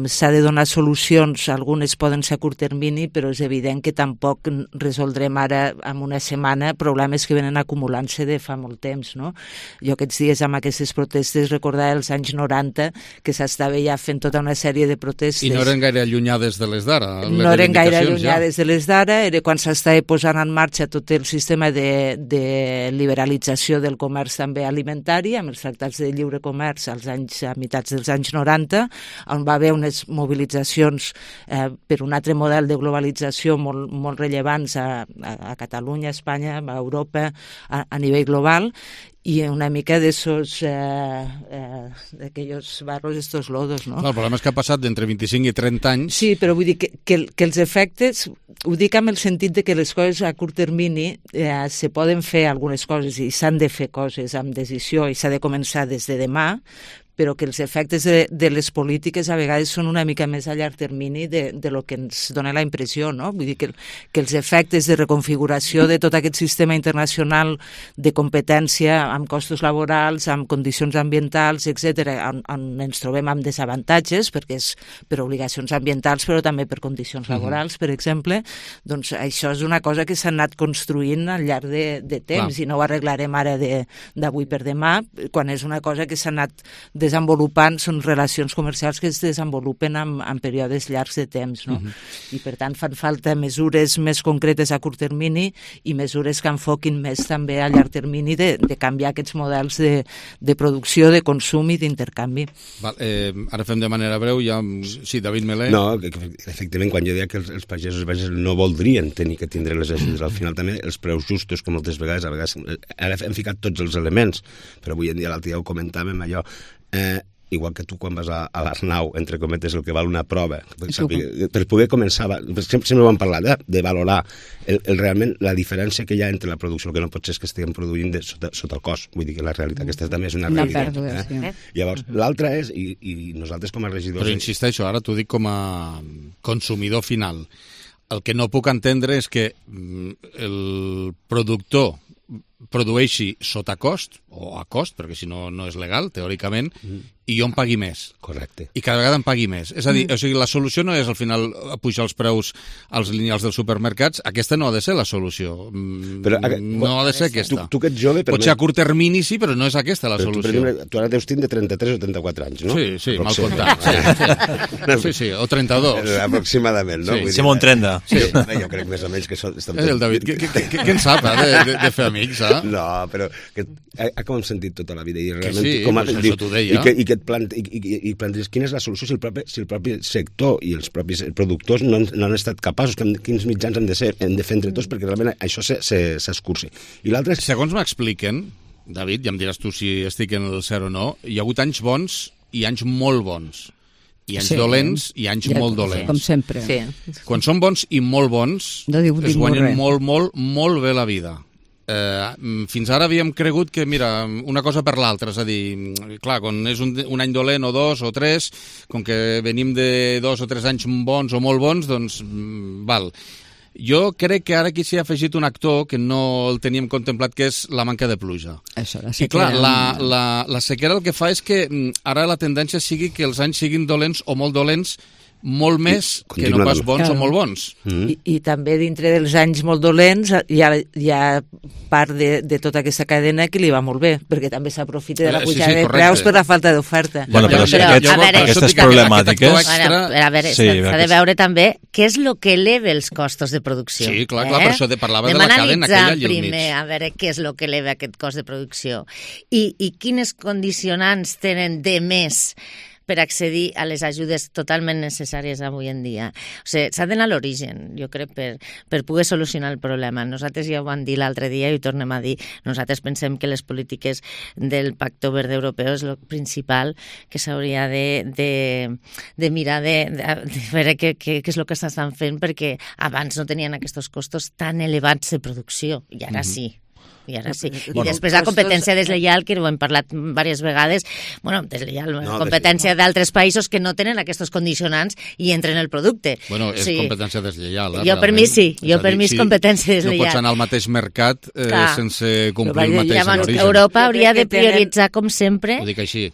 s'ha de donar solucions. Algunes poden ser a curt termini, però és evident que tampoc resoldrem ara en una setmana problemes que venen acumulant-se de fa molt temps, no? Jo aquests dies amb aquestes protestes recordava els anys 90 que s'estava ja fent tota una sèrie de protestes. I no eren gaire allunyades de les d'ara. No eren gaire allunyades de les d'ara, era quan s'estava posant en marxa tot el sistema de liberalització del comerç també alimentari, amb els tractats de lliure comerç a meitats dels anys 90, on va haver unes mobilitzacions per un altre model de globalització molt rellevants a Catalunya, a Espanya, a Europa, a nivell global, i una mica d'aquells barros, estos lodos, no? El problema és que ha passat d'entre 25 i 30 anys. Sí, però vull dir que els efectes, ho dic amb el sentit de que les coses a curt termini se poden fer algunes coses i s'han de fer coses amb decisió i s'ha de començar des de demà, però que els efectes de les polítiques a vegades són una mica més a llarg termini de lo que ens dona la impressió, no? Vull dir que els efectes de reconfiguració de tot aquest sistema internacional de competència amb costos laborals, amb condicions ambientals, etc., on ens trobem amb desavantatges, perquè és per obligacions ambientals, però també per condicions laborals, per exemple, doncs això és una cosa que s'ha anat construint al llarg de temps i no ho arreglarem ara d'avui per demà, quan és una cosa que s'ha anat desenvolupant, són relacions comercials que es desenvolupen en períodes llargs de temps, no? I per tant fan falta mesures més concretes a curt termini i mesures que enfoquin més també a llarg termini de canviar aquests models de producció, de consum i d'intercanvi. Ara fem de manera breu, ja... Sí, David Melé. No, efectivament, quan jo deia que els pagesos no voldrien tenir que tindre les ajudes, al final també els preus justos, que moltes vegades, ara hem ficat tots els elements, però avui en dia l'altre dia ho comentàvem, allò, igual que tu quan vas a l'Arnau, entre cometes, el que val una prova, per poder començar, sempre vam parlar de valorar realment la diferència que hi ha entre la producció, el que no pot ser és que estiguem produint sota el cost, vull dir que la realitat aquesta també és una realitat. Llavors, l'altra és, i nosaltres com a regidors... Però insisteixo, ara t'ho dic com a consumidor final, el que no puc entendre és que el productor produeixi sota cost, o a cost, perquè si no, no és legal, teòricament, i jo em pagui més. Correcte. I cada vegada em pagui més. És a dir, o sigui, la solució no és al final pujar els preus als lineals dels supermercats, aquesta no ha de ser la solució. No ha de ser aquesta. Tu que ets jove... Potser a curt termini sí, però no és aquesta la solució. Tu ara deus tindre 33 o 34 anys, no? Sí, mal comptat. Sí, o 32. Aproximadament, no? Sí, Simón 30. Jo crec més o menys que són... El David, què en sap, de fer amics, eh? No, però com hem sentit tota la vida i realment... Sí, això t'ho deia. I que et planteges quina és la solució si el propi sector i els propis productors no han estat capaços, quins mitjans hem de fer entre tots perquè realment això s'escurci. I l'altre és... Segons m'expliquen, David, ja em diràs tu si estic en el cert o no, hi ha hagut anys bons i anys molt bons. I anys dolents i anys molt dolents. Com sempre. Quan són bons i molt bons, es guanyen molt bé la vida. Fins ara havíem cregut que, mira, una cosa per l'altra, és a dir, clar, quan és un any dolent o dos o tres, com que venim de 2 o 3 anys bons o molt bons, doncs, val. Jo crec que ara aquí s'hi ha afegit un actor que no el teníem contemplat, que és la manca de pluja. Això, la sequera. I clar, la sequera el que fa és que ara la tendència sigui que els anys siguin dolents o molt dolents molt més que no pas bons o molt bons. I també dintre dels anys molt dolents hi ha part de tota aquesta cadena que li va molt bé, perquè també s'aprofita de la pujada de preus per la falta d'oferta. Bueno, però aquestes problemàtiques... A veure, s'ha de veure també què és el que eleva els costos de producció. Sí, clar, per això parlava de la cadena aquella allà al mig. Primer, a veure què és el que eleva aquest cost de producció i quines condicionants tenen de més per accedir a les ajudes totalment necessàries avui en dia. O sigui, s'ha d'anar a l'origen, jo crec, per poder solucionar el problema. Nosaltres ja ho vam dir l'altre dia i ho tornem a dir. Nosaltres pensem que les polítiques del Pacto Verde Europeu és el principal que s'hauria de mirar de veure què és el que s'estan fent, perquè abans no tenien aquests costos tan elevats de producció, i ara sí. I ara sí. I després la competència deslleial, que ho hem parlat diverses vegades, competència d'altres països que no tenen aquests condicionants i entren en el producte. Bueno, és competència deslleial. Jo per mi sí, per mi és competència deslleial. No pots anar al mateix mercat sense complir el mateix en origen. Europa hauria de prioritzar, com sempre, ho dic així.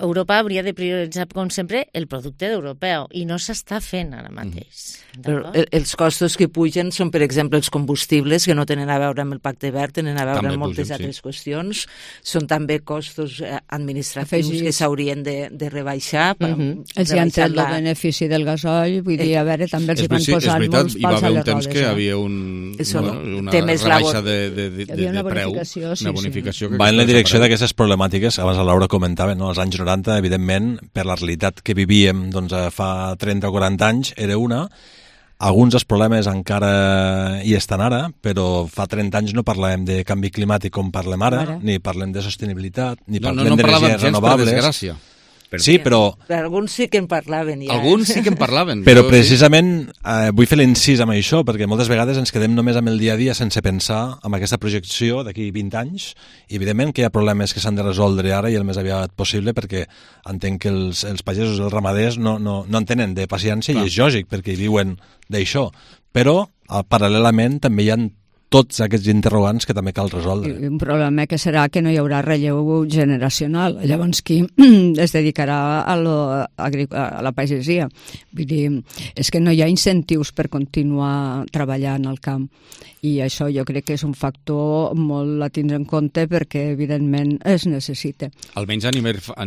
Europa hauria de prioritzar, com sempre, el producte europeu, i no s'està fent ara mateix. Però els costos que pugen són, per exemple, els combustibles, que no tenen a veure amb el Pacte Verd, tenen a veure amb moltes altres qüestions. Són també costos administratius que s'haurien de rebaixar. Els hi han tret el benefici del gasoll, vull dir, a veure, també els hi van posar molts pals a les rodes. Hi va haver un temps que hi havia una rebaixa de preu, una bonificació. Va en la direcció d'aquestes problemàtiques, abans la Laura comentava, als anys 90, evidentment, per la realitat que vivíem fa 30 o 40 anys, era una. Alguns dels problemes encara hi estan ara, però fa 30 anys no parlàvem de canvi climàtic com parlem ara, ni parlem de sostenibilitat, ni parlem d'energies renovables. Per desgràcia. Sí, però... Alguns sí que en parlaven ja. Alguns sí que en parlaven. Però precisament vull fer l'incís amb això, perquè moltes vegades ens quedem només amb el dia a dia sense pensar en aquesta projecció d'aquí 20 anys, i evidentment que hi ha problemes que s'han de resoldre ara i el més aviat possible, perquè entenc que els pagesos i els ramaders no en tenen de paciència, i és lògic, perquè hi viuen d'això. Però, paral·lelament, també hi ha tots aquests interrogants que també cal resoldre. Un problema que serà que no hi haurà relleu generacional. Llavors, qui es dedicarà a la pagesia? Vull dir, és que no hi ha incentius per continuar treballant al camp. I això jo crec que és un factor molt a tindre en compte, perquè evidentment es necessita. Almenys a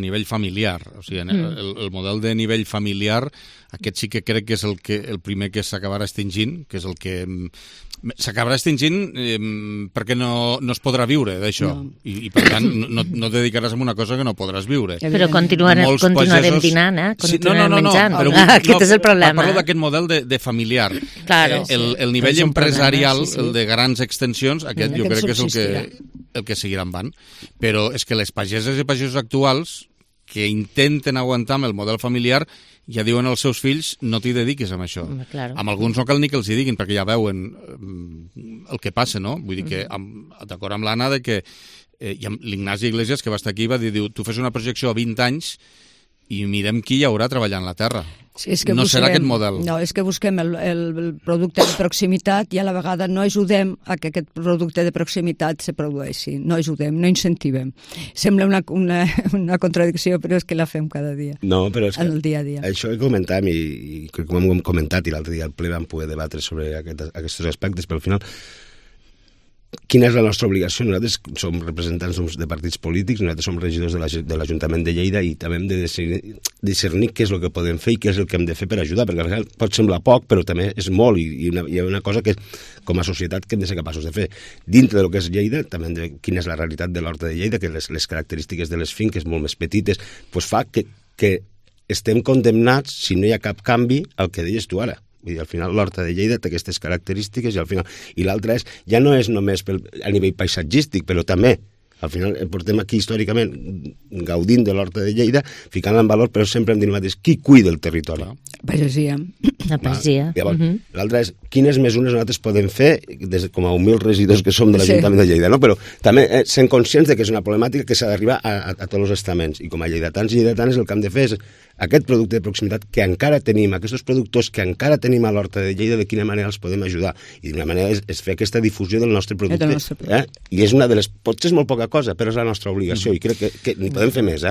nivell familiar. O sigui, el model de nivell familiar, aquest sí que crec que és el primer que s'acabarà extingint, que és el que s'acabarà extingint perquè no es podrà viure d'això. I per tant no et dedicaràs a una cosa que no podràs viure. Però continuarem dinant, continuarem menjant. Aquest és el problema. Parlo d'aquest model de familiar. El nivell empresarial, el de grans extensions, aquest jo crec que és el que el que seguiran van. Però és que les pageses i pagesos actuals que intenten aguantar amb el model familiar ja diuen als seus fills no t'hi dediquis amb això. Claro. Amb alguns no cal ni que els hi diguin perquè ja veuen el que passa, no? Vull dir que d'acord amb l'Anna de que l'Ignasi Iglesias, que va estar aquí, va dir, tu fes una projecció a 20 anys i mirem qui hi haurà treballant la terra. Sí, és que no serà aquest model. No, és que busquem el producte de proximitat i a la vegada no ajudem a que aquest producte de proximitat se produeixi. No ajudem, no incentivem. Sembla una contradicció, però és que la fem cada dia. No, però és que el dia a dia. Això que comentàvem, i com hem comentat, i l'altre dia al ple vam poder debatre sobre aquests aspectes, però al final quina és la nostra obligació? Nosaltres som representants de partits polítics, nosaltres som regidors de l'Ajuntament de Lleida i també hem de discernir què és el que podem fer i què és el que hem de fer per ajudar, perquè al final pot semblar poc, però també és molt i hi ha una cosa que com a societat que hem de ser capaços de fer. Dintre del que és Lleida, també hem de quina és la realitat de l'Horta de Lleida, que les característiques de les finques molt més petites, doncs fa que estem condemnats, si no hi ha cap canvi, al que deies tu ara. I al final l'Horta de Lleida té aquestes característiques i l'altra ja no és només a nivell paisatgístic, però també al final portem aquí històricament gaudint de l'Horta de Lleida, ficant en valor, però sempre hem dit el mateix, qui cuida el territori? Pagesia. La pagesia. Llavors, l'altra és quines mesures nosaltres podem fer com a humils regidors que som de l'Ajuntament de Lleida, no? Però també sent conscients de que és una problemàtica que s'ha d'arribar a tots els estaments i com a lleidatans i lleidatanes el que hem de fer és aquest producte de proximitat que encara tenim, aquests productors que encara tenim a l'Horta de Lleida, de quina manera els podem ajudar. I d'una manera és fer aquesta difusió del nostre producte. I és una de les... Potser és molt poca cosa, però és la nostra obligació i crec que n'hi podem fer més,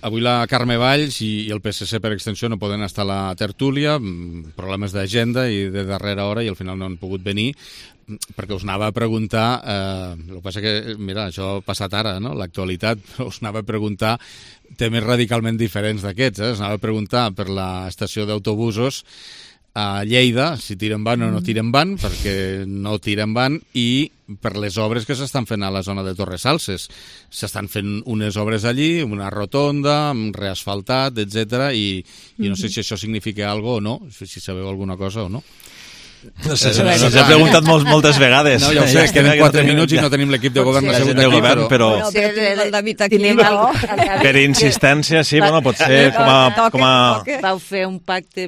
avui la Carme Valls i el PSC per extensió no poden estar a la tertúlia, problemes d'agenda i de darrera hora i al final no han pogut venir, perquè us anava a preguntar, el que passa que, mira, això ha passat ara, no?, l'actualitat, però us anava a preguntar temes radicalment diferents d'aquests, us anava a preguntar per l'estació d'autobusos a Lleida, si tiren van o no tiren van, perquè no tiren van, i per les obres que s'estan fent a la zona de Torresalses. S'estan fent unes obres allí, una rotonda, reasfaltat, etc. I no sé si això significa alguna cosa o no, si sabeu alguna cosa o no. No sé, se'ns ha preguntat moltes vegades. No, ja ho sé, queden 4 minuts i no tenim l'equip de govern assegut aquí, però el David aquí. Per insistència, sí, bueno, pot ser com a... Vau fer un pacte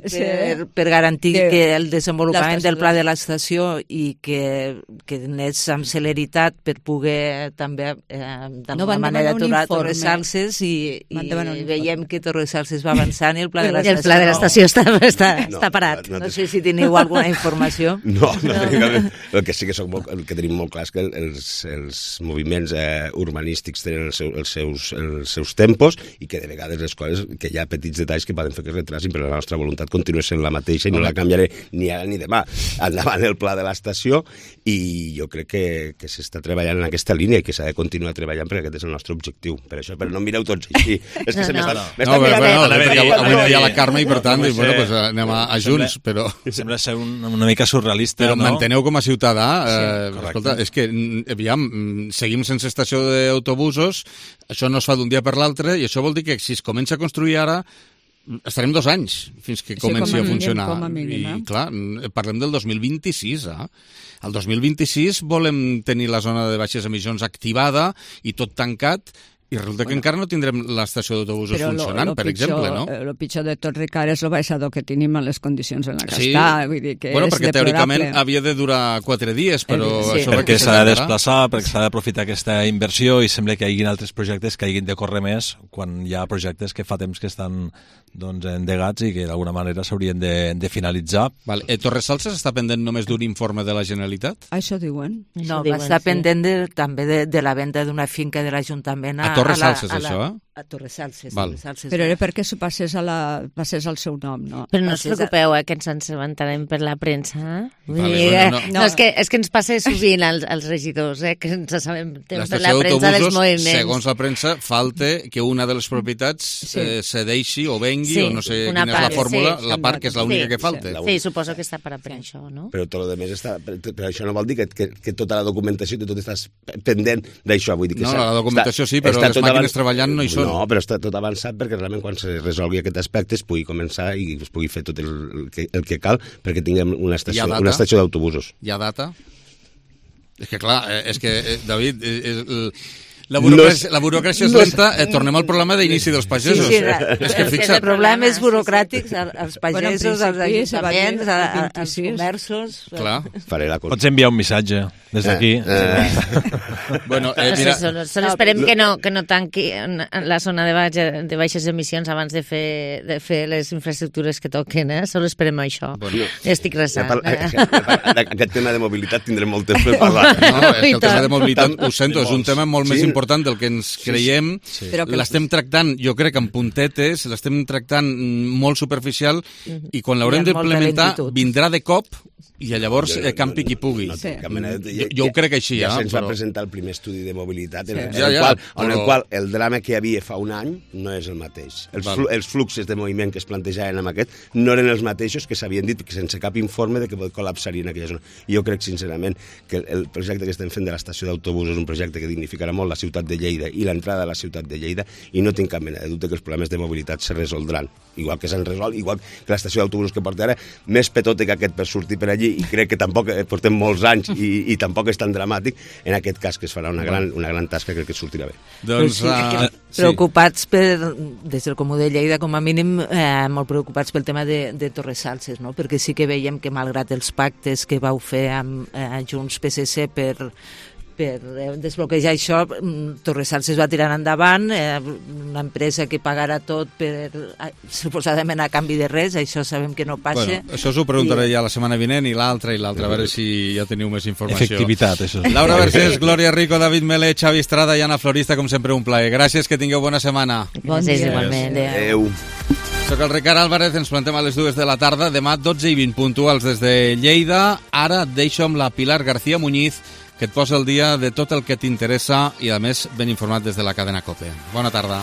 per garantir que el desenvolupament del pla de l'estació i que anés amb celeritat per poder també d'alguna manera aturar Torresalses i veiem que Torresalses va avançant i el pla de l'estació... El pla de l'estació està parat. No sé si teniu alguna informació. No. El que sí que el que tenim molt clar és que els moviments urbanístics tenen els seus tempos i que de vegades les coses, que hi ha petits detalls que poden fer que es retrasin, però la nostra voluntat continua sent la mateixa i no la canviaré ni ara ni demà. Endavant el pla de l'estació i jo crec que s'està treballant en aquesta línia i que s'ha de continuar treballant perquè aquest és el nostre objectiu. Per això, però no em mireu tots així. És que se m'està... Avui no hi ha la Carme i per tant anem a junts, però... Sembla ser una mica surrealista, però no? manteneu com a ciutadà, escolta, és que, aviam, seguim sense estació d'autobusos, això no es fa d'un dia per l'altre, i això vol dir que si es comença a construir ara, estarem 2 anys fins que comenci a funcionar. I, clar, parlem del 2026, El 2026 volem tenir la zona de baixes emissions activada i tot tancat, i resulta que encara no tindrem l'estació d'autobusos funcionant, per exemple, no? El pitjor de tot, Ricard, és el baixador que tenim a les condicions en la que està. Vull dir que és perquè teòricament havia de durar 4 dies, però... Perquè s'ha de desplaçar, perquè s'ha d'aprofitar aquesta inversió i sembla que hi hagin altres projectes que hagin de córrer més quan hi ha projectes que fa temps que estan endegats i que d'alguna manera s'haurien de finalitzar. Torresalses està pendent només d'un informe de la Generalitat? Això diuen. No, està pendent també de la venda d'una finca de l'Ajuntament a Torresalses, això, a Torresalses. Però era perquè s'ho passés al seu nom, no? Però no us preocupeu, que ens ensabentarem per la premsa. No, és que ens passa sovint als regidors, que ens assabentem per la premsa dels moviments. Segons la premsa, falta que una de les propietats cedeixi o vengui, o no sé quina és la fórmula, la part que és l'única que falta. Sí, suposo que està per això, no? Però tot el més està... Però això no vol dir que tota la documentació, tot estàs pendent d'això. No, la documentació sí, però les màquines treballant no hi són. No, però està tot avançat perquè realment quan se resolgui aquest aspecte es pugui començar i es pugui fer tot el que cal perquè tinguem una estació d'autobusos. Hi ha data? És que clar, David, la burocràcia és lenta. Tornem al problema d'inici dels pagesos. És que fixa't. Problemes burocràtics als pagesos, als ajuntaments, als comerços... Clar. Pots enviar un missatge des d'aquí. Bueno, mira... Solo esperem que no tanqui la zona de baixes emissions abans de fer les infraestructures que toquen, Solo esperem això. Estic resant. Aquest tema de mobilitat tindrem molt temps per parlar. No, és que el tema de mobilitat, ho sento, és un tema molt més important del que ens creiem. L'estem tractant, jo crec, en puntetes, l'estem tractant molt superficial i quan l'haurem d'implementar vindrà de cop i llavors campi qui pugui. Jo ho crec així. Ja se'ns va presentar el primer estudi de mobilitat en el qual el drama que hi havia fa un any no és el mateix. Els fluxos de moviment que es plantejaven amb aquest no eren els mateixos que s'havien dit sense cap informe de que col·lapsarien aquella zona. Jo crec, sincerament, que el projecte que estem fent de l'estació d'autobús és un projecte que dignificarà molt la ciutat de Lleida i l'entrada a la ciutat de Lleida i no tinc cap mena de dubte que els problemes de mobilitat se resoldran. Igual que s'han resolt, igual que l'estació d'autobús que porta ara, més petota que aquest per sortir per allí i crec que tampoc portem molts anys i tampoc és tan dramàtic. En aquest cas que es farà una gran tasca, crec que sortirà bé. Doncs, preocupats des del Comú de Lleida, com a mínim, molt preocupats pel tema de Torresalses, no? Perquè sí que veiem que malgrat els pactes que vau fer amb Junts PSC per desbloquejar això, Torresalses va tirar endavant, una empresa que pagarà tot suposadament a canvi de res, això sabem que no passa. Bueno, això us ho preguntaré ja la setmana vinent i l'altra, a veure si ja teniu més informació. Efectivitat, això. Laura Vergés, Glòria Rico, David Melé, Xavi Estrada i Anna Florista, com sempre un plaer. Gràcies, que tingueu bona setmana. Bon dia. Igualment. Adéu. Soc el Ricard Álvarez, ens plantem a les 2 de la tarda, demà 12:20 puntuals des de Lleida. Ara deixo amb la Pilar García Muñiz, que et posa el dia de tot el que t'interessa i, a més, ben informat des de la cadena COPE. Bona tarda.